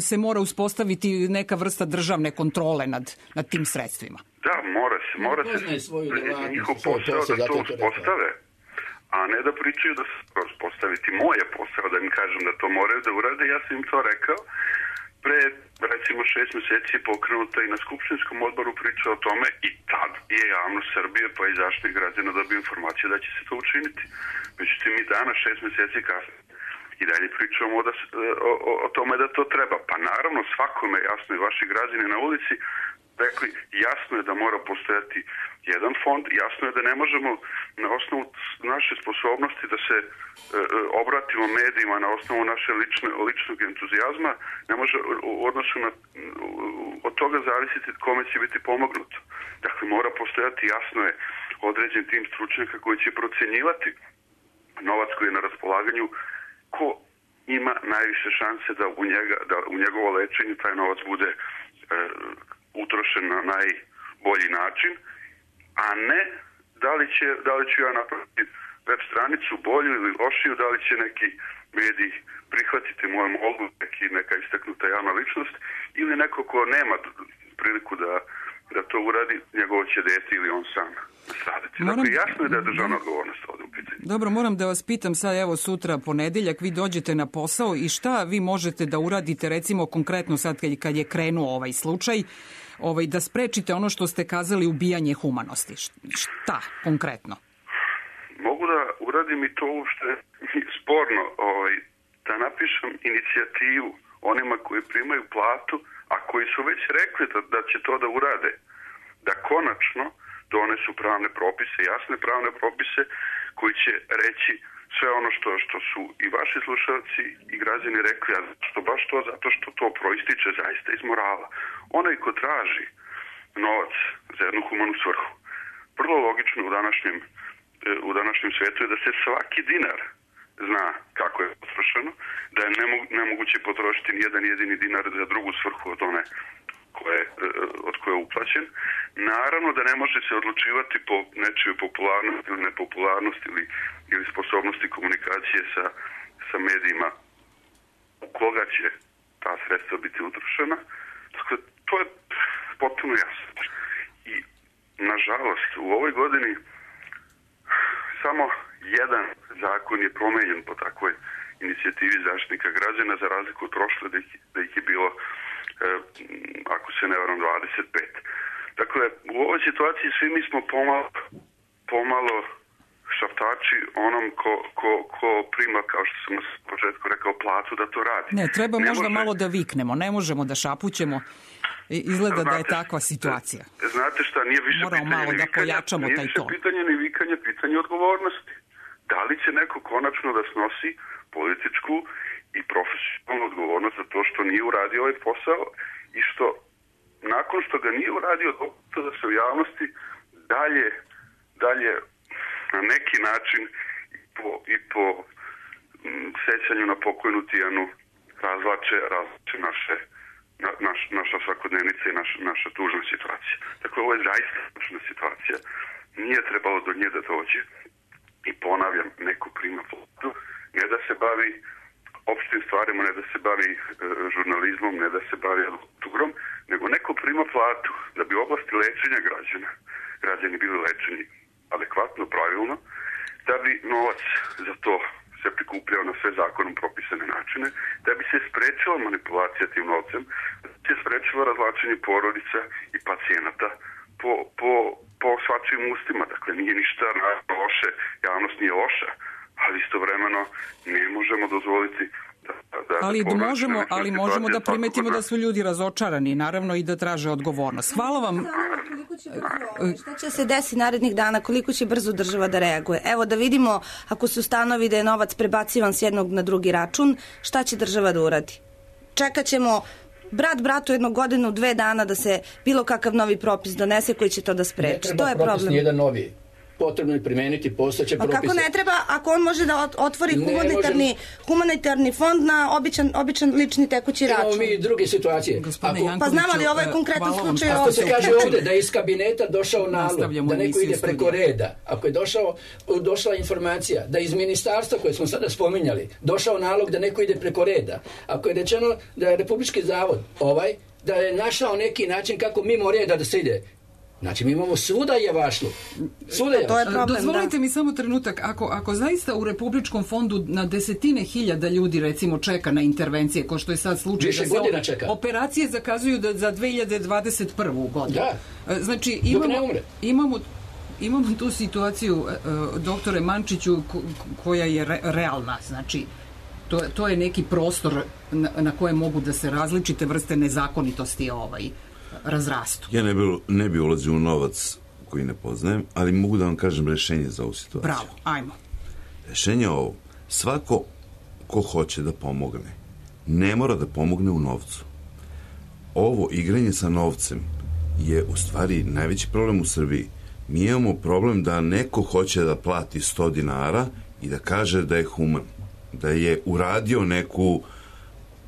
se mora uspostaviti neka vrsta državne kontrole nad, nad tim sredstvima. Da, mora se, mora se njihov posao da to uspostave, a ne da pričaju da se uspostaviti. Moj je posao da im kažem da to moraju da urade, ja sam im to rekao. Pre, recimo, šest mjeseci je pokrenuta i na Skupštinskom odboru priča o tome i tad je javnost Srbije pa i Zaštitnik građana dobio informaciju da će se to učiniti. Međutim, mi danas, šest mjeseci kasnije, i dalje pričamo o, da, o, o, o tome da to treba. Pa naravno, svakome jasno i vaši građani na ulici rekli, jasno je da mora postojati jedan fond, jasno je da ne možemo na osnovu naše sposobnosti da se e, obratimo medijima na osnovu naše lične, ličnog entuzijazma, ne može u odnosu na, od toga zavisiti kome će biti pomognuto. Dakle, mora postojati, jasno je, određen tim stručnjaka koji će procjenjivati novac koji je na raspolaganju, ko ima najviše šanse da u, njega, da u njegovo lečenje taj novac bude e, utrošen na najbolji način, a ne da li, će, da li ću ja napraviti web stranicu bolju ili lošiju, da li će neki mediji prihvatiti moju molbu, neki, neka istaknuta javna ličnost ili neko ko nema priliku da, da to uradi, njegovo će dete ili on sam nastradati. Moram... Dakle, jasno je da je državna odgovornost ovdje u pitanju. Dobro, moram da vas pitam sad, evo sutra ponedeljak, vi dođete na posao i šta vi možete da uradite, recimo konkretno sad kad je krenuo ovaj slučaj, ovaj, da sprečite ono što ste kazali, ubijanje humanosti. Šta konkretno? Mogu da uradim i to što je sporno, ovaj, da napišem inicijativu onima koji primaju platu, a koji su već rekli da, da će to da urade, da konačno donesu pravne propise, jasne pravne propise koji će reći sve ono što, što su i vaši slušalci i građani rekli, a što baš to, zato što to proističe zaista iz morala. Onaj ko traži novac za jednu humanu svrhu, vrlo logično u današnjem, u današnjem svijetu je da se svaki dinar zna kako je potrošeno, da je nemoguće potrošiti ni jedan jedini dinar za drugu svrhu od one koje, od koje je uplaćen. Naravno da ne može se odlučivati po nečijoj popularnosti ili nepopularnosti ili, ili sposobnosti komunikacije sa, sa medijima u koga će ta sredstva biti utrošena. Dakle, to je potpuno jasno. I, nažalost, u ovoj godini samo jedan zakon je promenjen po takvoj inicijativi Zaštitnika građana, za razliku od prošle da ih, da ih je bilo, e, ako se ne varam, dvadeset pet. Dakle, u ovoj situaciji svi mi smo pomalo, pomalo šaptači onom ko, ko, ko prima, kao što sam na početku rekao, platu da to radi. Ne, treba ne možda može... malo da viknemo, ne možemo da šapućemo. Izgleda znate, da je takva situacija. Znate šta, nije više Moramo pitanje malo ni da vikanja, pojačamo nije taj više ton. pitanje ni vikanja, pitanje odgovornosti. Da li će neko konačno da snosi političku i profesionalnu odgovornost za to što nije uradio ovaj posao i što nakon što ga nije uradio to da se u javnosti dalje, dalje na neki način i po, i po m, sećanju na pokojnu Tijanu razlače, razlače naše Na, naš, naša svakodnevnica i naš, naša tužna situacija. Dakle, ovo je zaista tužna situacija. Nije trebalo do nje da dođe. I ponavljam, neko prima platu, ne da se bavi opštim stvarima turizmom, ne da se bavi turom, nego neko prima platu da bi u oblasti lečenja građana, građani bili lečeni adekvatno, pravilno, da bi novac za to se prikupljao na sve zakonom propisane načine, da bi se sprečila manipulacija tim novcem, da bi se sprečila razvlačenje porodica i pacijenata po, po, po svačijim ustima. Dakle, nije ništa loše, javnost nije loša, ali istovremeno ne možemo dozvoliti da, da, ali da možemo, ali možemo da primetimo da su ljudi razočarani, naravno, i da traže odgovornost. Hvala vam. Šta će se desiti narednih dana, koliko će brzo država da reaguje? Evo da vidimo, ako se ustanovi da je novac prebacivan s jednog na drugi račun, šta će država da uradi? Čekat ćemo brat bratu jednog godinu, dve dana da se bilo kakav novi propis donese koji će to da spreči. To je problem. Ne treba propis nijedan novi. Potrebno je primeniti postojeće propise. A kako ne treba, ako on može da otvori humanitarni, humanitarni fond na običan, običan lični tekući račun? Imamo mi druge situacije. Ako, pa znamo li ovo je konkretan slučaj ovdje? Ako se kaže ovdje da je iz kabineta došao nalog, da neko ide preko reda, ako je došao, došla informacija da iz ministarstva koje smo sada spominjali, došao nalog da neko ide preko reda, ako je rečeno da je Republički zavod ovaj, da je našao neki način kako mimo reda da se ide, znači, mi imamo svuda javašlu. Svuda je to je problem, Dozvolite da. mi samo trenutak, ako, ako zaista u Republičkom fondu na desetine hiljada ljudi, recimo, čeka na intervencije, ko što je sad slučaj, više da se godina čeka. Operacije zakazuju da za dve hiljade dvadeset prvu godinu. Da. Znači, Dok imamo, ne umre. imamo, imamo tu situaciju, uh, doktore Mančiću, ko, koja je re, realna, znači, to, to je neki prostor na, na koje mogu da se različite vrste nezakonitosti ovaj, razrastu. Ja ne bi, ne bi ulazio u novac koji ne poznajem, ali mogu da vam kažem rešenje za ovu situaciju. Bravo, ajmo. Rešenje je ovo. Svako ko hoće da pomogne, ne mora da pomogne u novcu. Ovo igranje sa novcem je u stvari najveći problem u Srbiji. Mi imamo problem da neko hoće da plati sto dinara i da kaže da je human, da je uradio neku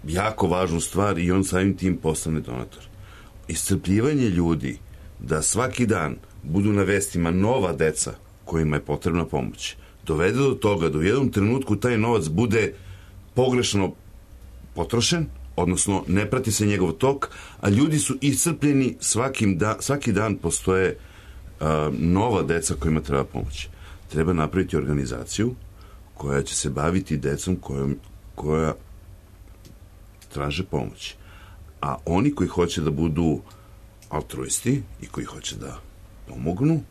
jako važnu stvar i on samim tim postane donator. Iscrpljivanje ljudi da svaki dan budu na vestima nova deca kojima je potrebna pomoć, dovede do toga da u jednom trenutku taj novac bude pogrešno potrošen, odnosno ne prati se njegov tok, a ljudi su iscrpljeni, svakim da, svaki dan postoje uh, nova deca kojima treba pomoć. Treba napraviti organizaciju koja će se baviti decom kojom, koja traže pomoć. A oni koji hoće da budu altruisti i koji hoće da pomognu,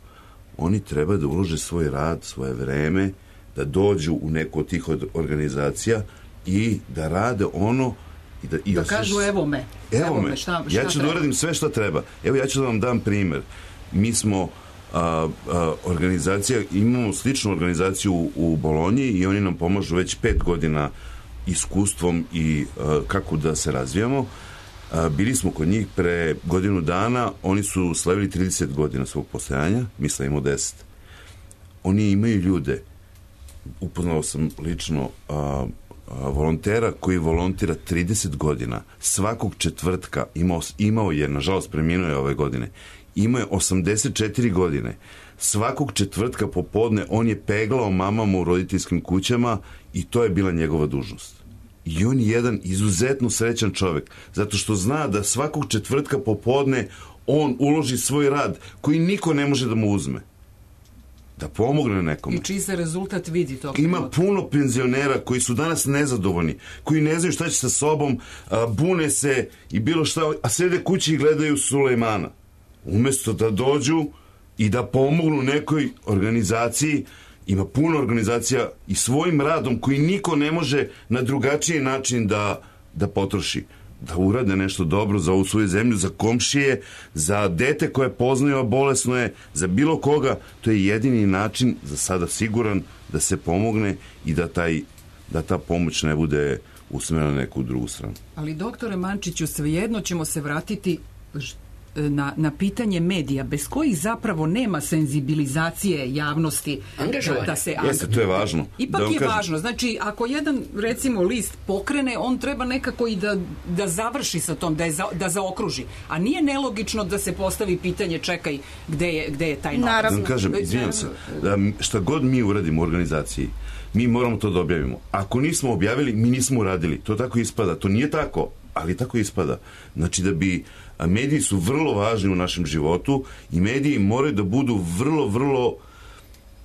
oni treba da ulože svoj rad, svoje vreme, da dođu u neku od tih organizacija i da rade ono i da, i da kažu sve, evo me, evo, evo me, me šta, šta ja ću treba. da uradim sve što treba. Evo ja ću da vam dam primer. Mi smo a, a, organizacija, imamo sličnu organizaciju u, u Bolonji i oni nam pomažu već pet godina iskustvom i a, kako da se razvijamo. A, bili smo kod njih pre godinu dana, oni su slavili trideset godina svog postojanja, mi slavimo deset. Oni imaju ljude, upoznao sam lično a, a, volontera koji volontira trideset godina, svakog četvrtka imao, imao je, nažalost preminuo je ove godine, imao je osamdeset četiri godine, svakog četvrtka popodne on je peglao mamama u roditeljskim kućama i to je bila njegova dužnost. I on je jedan izuzetno srećan čovjek, zato što zna da svakog četvrtka popodne on uloži svoj rad koji niko ne može da mu uzme. Da pomogne nekome. I čiji se rezultat vidi tog. Ima puno penzionera koji su danas nezadovoljni, koji ne znaju šta će sa sobom, a, bune se i bilo šta, a sede kući i gledaju Sulejmana. Umesto da dođu i da pomognu nekoj organizaciji. Ima puno organizacija i svojim radom koji niko ne može na drugačiji način da, da potroši. Da urade nešto dobro za ovu svoju zemlju, za komšije, za dete koje poznaju, a bolesno je, za bilo koga. To je jedini način, za sada siguran, da se pomogne i da, taj, da ta pomoć ne bude usmerena na neku drugu stranu. Ali, doktore Mančiću, svejedno ćemo se vratiti na, na pitanje medija, bez kojih zapravo nema senzibilizacije javnosti da, da se... Jeste, to je važno. Ipak da je kažem... važno. Znači, ako jedan, recimo, list pokrene, on treba nekako i da, da završi sa tom, da, je za, da zaokruži. A nije nelogično da se postavi pitanje, čekaj, gde je, gde je taj novac? Naravno. Da kažem, izvinjam se, da šta god mi uradimo u organizaciji, mi moramo to da objavimo. Ako nismo objavili, mi nismo uradili. To tako ispada. To nije tako. ali tako ispada. Znači da bi, mediji su vrlo važni u našem životu i mediji moraju da budu vrlo, vrlo,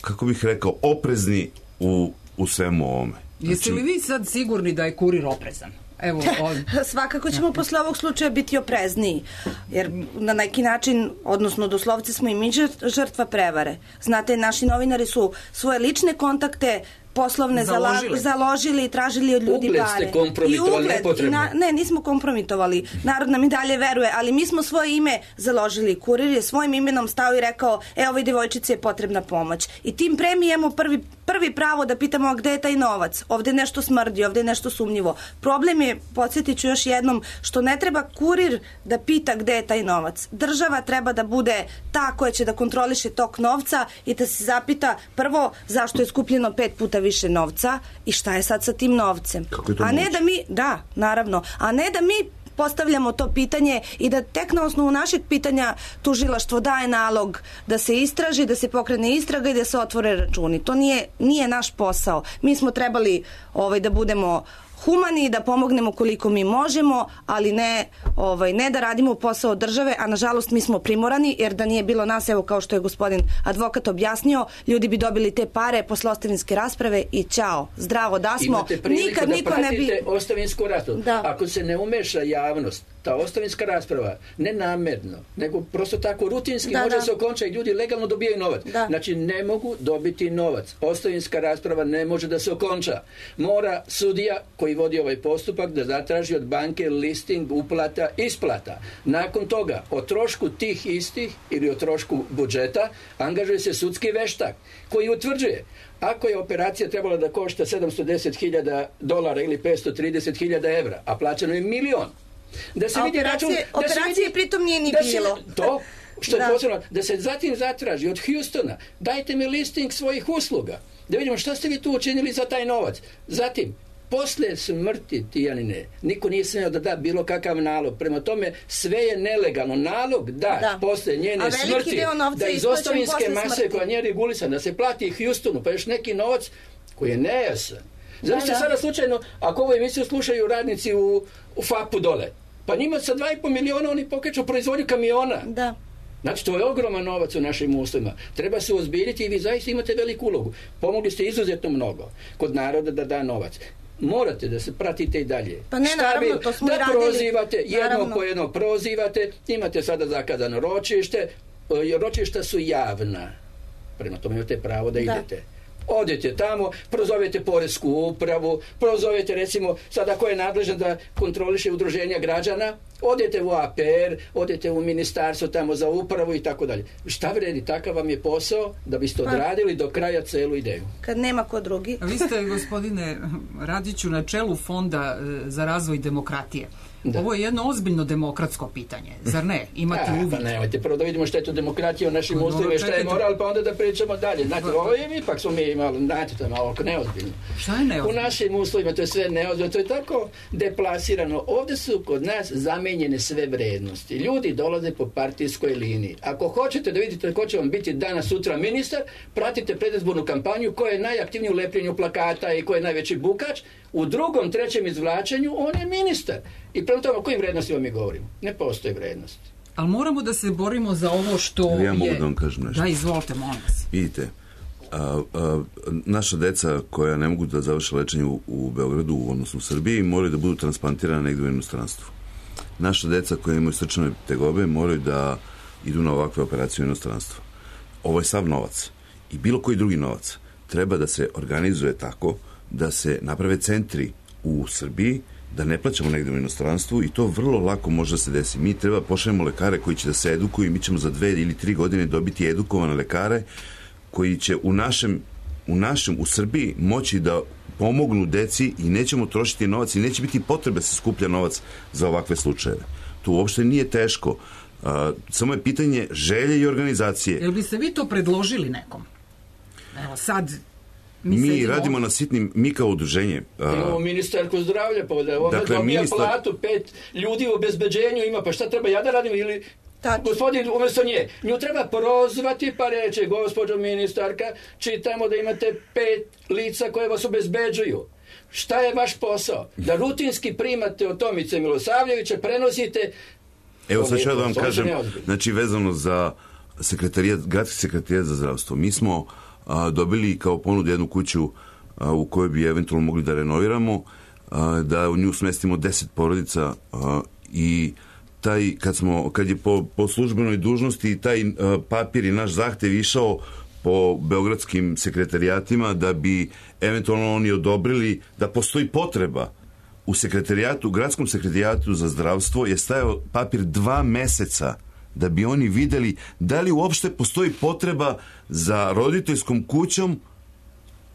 kako bih rekao, oprezni u, u svemu ovome. Znači, jeste li vi sad sigurni da je Kurir oprezan? Evo, on... Svakako ćemo posle ovog slučaja biti oprezniji, jer na neki način, odnosno doslovce smo i mi žrtva prevare. Znate, naši novinari su svoje lične kontakte poslovne založili, založili i tražili od ljudi ugled pare. Ste kompromitovali, nepotrebno. Na, ne, nismo kompromitovali. Narod nam i dalje veruje, ali mi smo svoje ime založili. Kurir je svojim imenom stao i rekao, e, ovoj devojčici je potrebna pomoć. I tim premijemo prvi, prvi pravo da pitamo, a gde je taj novac? Ovde nešto smrdi, ovde je nešto sumnjivo. Problem je, podsjetit ću još jednom, što ne treba Kurir da pita gde je taj novac. Država treba da bude ta koja će da kontroliše tok novca i da se zapita prvo zašto je skupljeno pet puta više novca i šta je sad sa tim novcem. A ne da mi, da, naravno, a ne da mi postavljamo to pitanje i da tek na osnovu našeg pitanja tužilaštvo daje nalog da se istraži, da se pokrene istraga i da se otvore računi. To nije, nije naš posao. Mi smo trebali ovaj, da budemo humani, da pomognemo koliko mi možemo, ali ne, ovaj, ne da radimo posao države, a nažalost mi smo primorani, jer da nije bilo nas, evo kao što je gospodin advokat objasnio, ljudi bi dobili te pare posle ostavinske rasprave i ćao, zdravo da smo. Imate priliku nikad da niko pratite ne bi... ostavinsku raspravu. Da. Ako se ne umeša javnost, ta ostavinska rasprava, ne namerno, nego prosto tako rutinski da, može da. se okončati i ljudi legalno dobijaju novac. Da. Znači ne mogu dobiti novac. Ostavinska rasprava ne može da se okonča. Mora sudija koji vodi ovaj postupak da zatraži od banke listing uplata isplata. Nakon toga o trošku tih istih ili o trošku budžeta angažuje se sudski veštak koji utvrđuje ako je operacija trebala da košta sedamsto deset hiljada dolara ili petsto trideset hiljada evra, a plaćeno je milion. Da se a vidi operacije, račun, da operacije se vidi, pritom nije ni da bilo. Se, to što je da. posebno, da se zatim zatraži od Houstona, dajte mi listing svojih usluga, da vidimo šta ste vi tu učinili za taj novac. Zatim, posle smrti Tijanine, niko nije smeo da da bilo kakav nalog. Prema tome, sve je nelegalno. Nalog da, da. posle njene smrti, da iz ostavinske mase koja nije regulisana, da se plati Houstonu, pa još neki novac koji je nejasan. Znači da, da. Sada slučajno, ako ovu emisiju slušaju radnici u, u fapu dole, pa njima sa dva i po miliona oni pokreću proizvodnju kamiona. Da. Znači, to je ogroman novac u našim uslovima. Treba se ozbiljiti i vi zaista imate veliku ulogu. Pomogli ste izuzetno mnogo kod naroda da da novac. Morate da se pratite i dalje. Pa ne, šta naravno, vi, to smo da i radili. prozivate, jedno naravno. po jedno prozivate, imate sada zakazano ročište, ročišta su javna. Prema tome imate pravo da, da. idete. Odete tamo, prozovete poresku upravu, prozovete recimo sada ko je nadležan da kontroliše udruženja građana, odete u A P R, odete u ministarstvo tamo za upravu i tako dalje. Šta vredi, takav vam je posao da biste odradili do kraja celu ideju. Kad nema ko drugi. Vi ste, gospodine Radiću, na čelu Fonda za razvoj demokratije. Da. Ovo je jedno ozbiljno demokratsko pitanje, zar ne? Imate A, uvid. Pa nemojte, prvo da vidimo šta je to demokratija u našim uslovima i šta je moral, pa onda da pričamo dalje. Znate, ovo je ipak smo mi malo, znate, to je malo neozbiljno. Šta je neozbiljno? U našim uslovima to je sve neozbiljno, to je tako deplasirano. Ovde su kod nas zamenjene sve vrednosti. Ljudi dolaze po partijskoj liniji. Ako hoćete da vidite ko će vam biti danas, sutra ministar, pratite predizbornu kampanju, ko je najaktivniji u lepljenju plakata i ko je najveći bukač. U drugom, trećem izvlačenju on je ministar. I prema tome, o kojim vrednostima mi govorimo? Ne postoji vrednost. Ali moramo da se borimo za ovo što ja je... mogu da vam kažem nešto. Da, izvolite, molim vas. Vidite, a, a, naša deca koja ne mogu da završe lečenje u, u Beogradu, odnosno u Srbiji, moraju da budu transplantirane negdje u inostranstvu. Naša deca koja imaju srčane tegobe moraju da idu na ovakve operacije u inostranstvu. Ovo je sav novac. I bilo koji drugi novac treba da se organizuje tako da se naprave centri u Srbiji, da ne plaćamo negdje u inostranstvu i to vrlo lako može da se desi. Mi treba pošaljemo lekare koji će da se edukuju i mi ćemo za dve ili tri godine dobiti edukovane lekare koji će u našem, u našem, u Srbiji moći da pomognu deci i nećemo trošiti novac i neće biti potrebe da se skuplja novac za ovakve slučajeve. To uopšte nije teško. Uh, samo je pitanje želje i organizacije. Jel biste vi to predložili nekom? Evo sad... Mi, mi radimo na sitnim, mi kao udruženje. Imamo ministarku zdravlja, pa da ona dakle, dobija ministar... platu, pet ljudi u obezbeđenju ima, pa šta treba ja da radim ili... Tačno. Gospodin, umjesto nje, nju treba prozvati pa reći, gospođo ministarka, čitamo da imate pet lica koje vas obezbeđuju. Šta je vaš posao? Da rutinski primate od Tomice Milosavljevića, prenosite... Evo sad ću ja da vam kažem, znači vezano za sekretarijat, gradski sekretarijat za zdravstvo. Mi smo a, dobili kao ponudu jednu kuću a, u kojoj bi eventualno mogli da renoviramo, a, da u nju smestimo deset porodica a, i taj, kad, smo, kad je po, po službenoj dužnosti taj a, papir i naš zahtev išao po beogradskim sekretarijatima da bi eventualno oni odobrili da postoji potreba u sekretarijatu, gradskom sekretarijatu za zdravstvo je stajao papir dva meseca da bi oni videli da li uopšte postoji potreba za roditeljskom kućom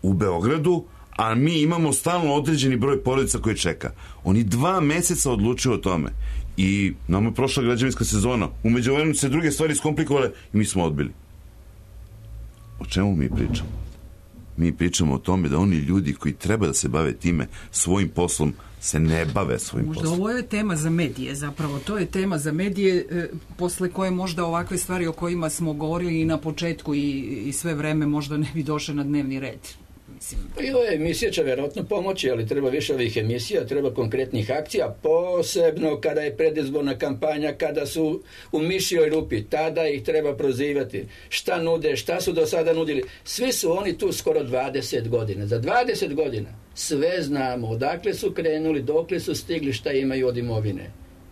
u Beogradu, a mi imamo stalno određeni broj porodica koji čeka. Oni dva meseca odlučuju o tome. I nam je prošla građevinska sezona. U međuvremenu se druge stvari iskomplikovale i mi smo odbili. O čemu mi pričamo? Mi pričamo o tome da oni ljudi koji treba da se bave time svojim poslom se ne bave svojim možda poslom. Možda ovo je tema za medije zapravo. To je tema za medije e, posle koje možda ovakve stvari o kojima smo govorili i na početku i, i sve vreme možda ne bi došle na dnevni red. Mislim. I ove emisije će vjerojatno pomoći, ali treba više ovih emisija, treba konkretnih akcija, posebno kada je predizborna kampanja, kada su u mišjoj rupi, tada ih treba prozivati. Šta nude, šta su do sada nudili. Svi su oni tu skoro dvadeset godina. Za dvadeset godina sve znamo, odakle su krenuli, dokle su stigli, šta imaju od imovine.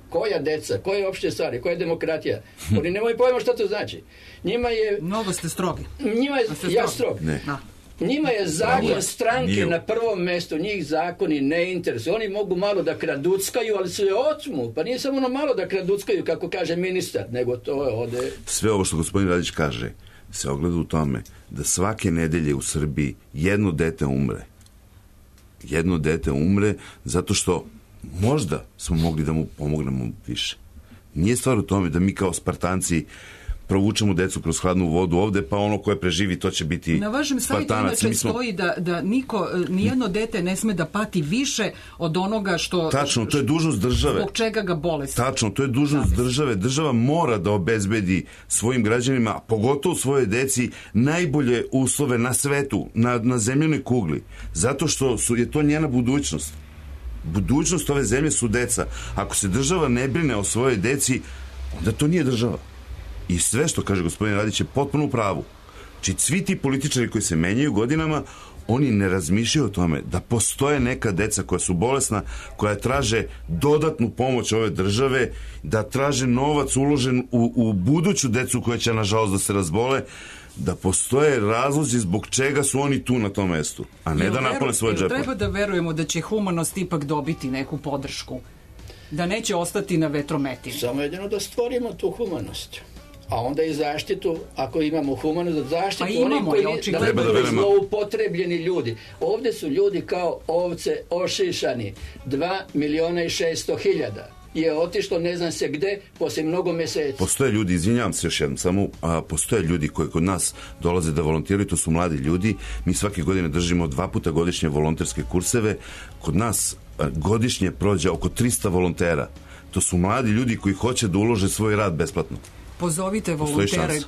Koja deca, koje opšte stvari, koja je demokratija. Oni nemaju pojma šta to znači. Njima je... Mnogo ste strogi. Njima je... Ja strog. Ne. Da. Njima je zakon stranke na prvom mjestu, njih zakoni ne interesuju. Oni mogu malo da kraduckaju, ali su je otmu. Pa nije samo ono malo da kraduckaju, kako kaže ministar, nego to je ode... Sve ovo što gospodin Radić kaže se ogleda u tome da svake nedelje u Srbiji jedno dete umre. Jedno dete umre zato što možda smo mogli da mu pomognemo više. Nije stvar u tome da mi kao Spartanci provučemo decu kroz hladnu vodu ovde, pa ono koje preživi, to će biti Spartanac. Na vašem sajtu inače smo... stoji da, da niko, nijedno dete ne sme da pati više od onoga što... Tačno, to je dužnost države. Zbog čega ga bolest. Tačno, to je dužnost države. Država mora da obezbedi svojim građanima, a pogotovo svoje deci, najbolje uslove na svetu, na, na zemljenoj kugli. Zato što su, je to njena budućnost. Budućnost ove zemlje su deca. Ako se država ne brine o svojoj deci, onda to nije država. I sve što kaže gospodin Radić je potpuno u pravu. Či svi ti političari koji se menjaju godinama, oni ne razmišljaju o tome da postoje neka deca koja su bolesna, koja traže dodatnu pomoć ove države, da traže novac uložen u, u buduću decu koja će nažalost da se razbole, da postoje razlozi zbog čega su oni tu na tom mestu, a ne da napune svoje džepe. Treba da verujemo da će humanost ipak dobiti neku podršku, da neće ostati na vetrometini. Samo jedino da stvorimo tu humanost. A onda i zaštitu, ako imamo humanost, da zaštitu pa imamo, oni koji očigledno. da ne budu zloupotrebljeni ljudi. Ovde su ljudi kao ovce ošišani. Dva miliona i šesto hiljada je otišlo ne znam se gde posle mnogo meseci. Postoje ljudi, izvinjavam se još jednom, samo a, postoje ljudi koji kod nas dolaze da volontiraju, to su mladi ljudi. Mi svake godine držimo dva puta godišnje volonterske kurseve. Kod nas a, godišnje prođe oko trista volontera. To su mladi ljudi koji hoće da ulože svoj rad besplatno. Pozovite volontere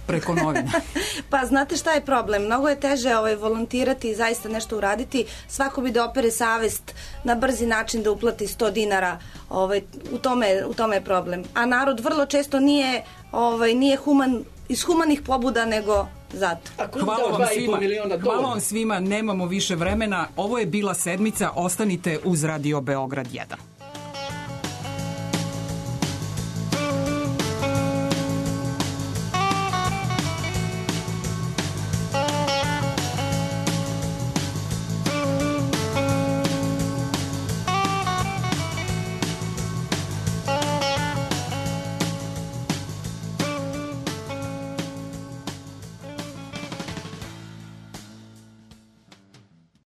preko novina. Pa znate šta je problem? Mnogo je teže ovaj, volontirati i zaista nešto uraditi. Svako bi da opere savest na brzi način da uplati sto dinara. Ovaj, u, tome, u tome je problem. A narod vrlo često nije, ovaj, nije human, iz humanih pobuda nego zato. Hvala vam svima. Hvala vam svima. Nemamo više vremena. Ovo je bila sedmica. Ostanite uz Radio Beograd jedan.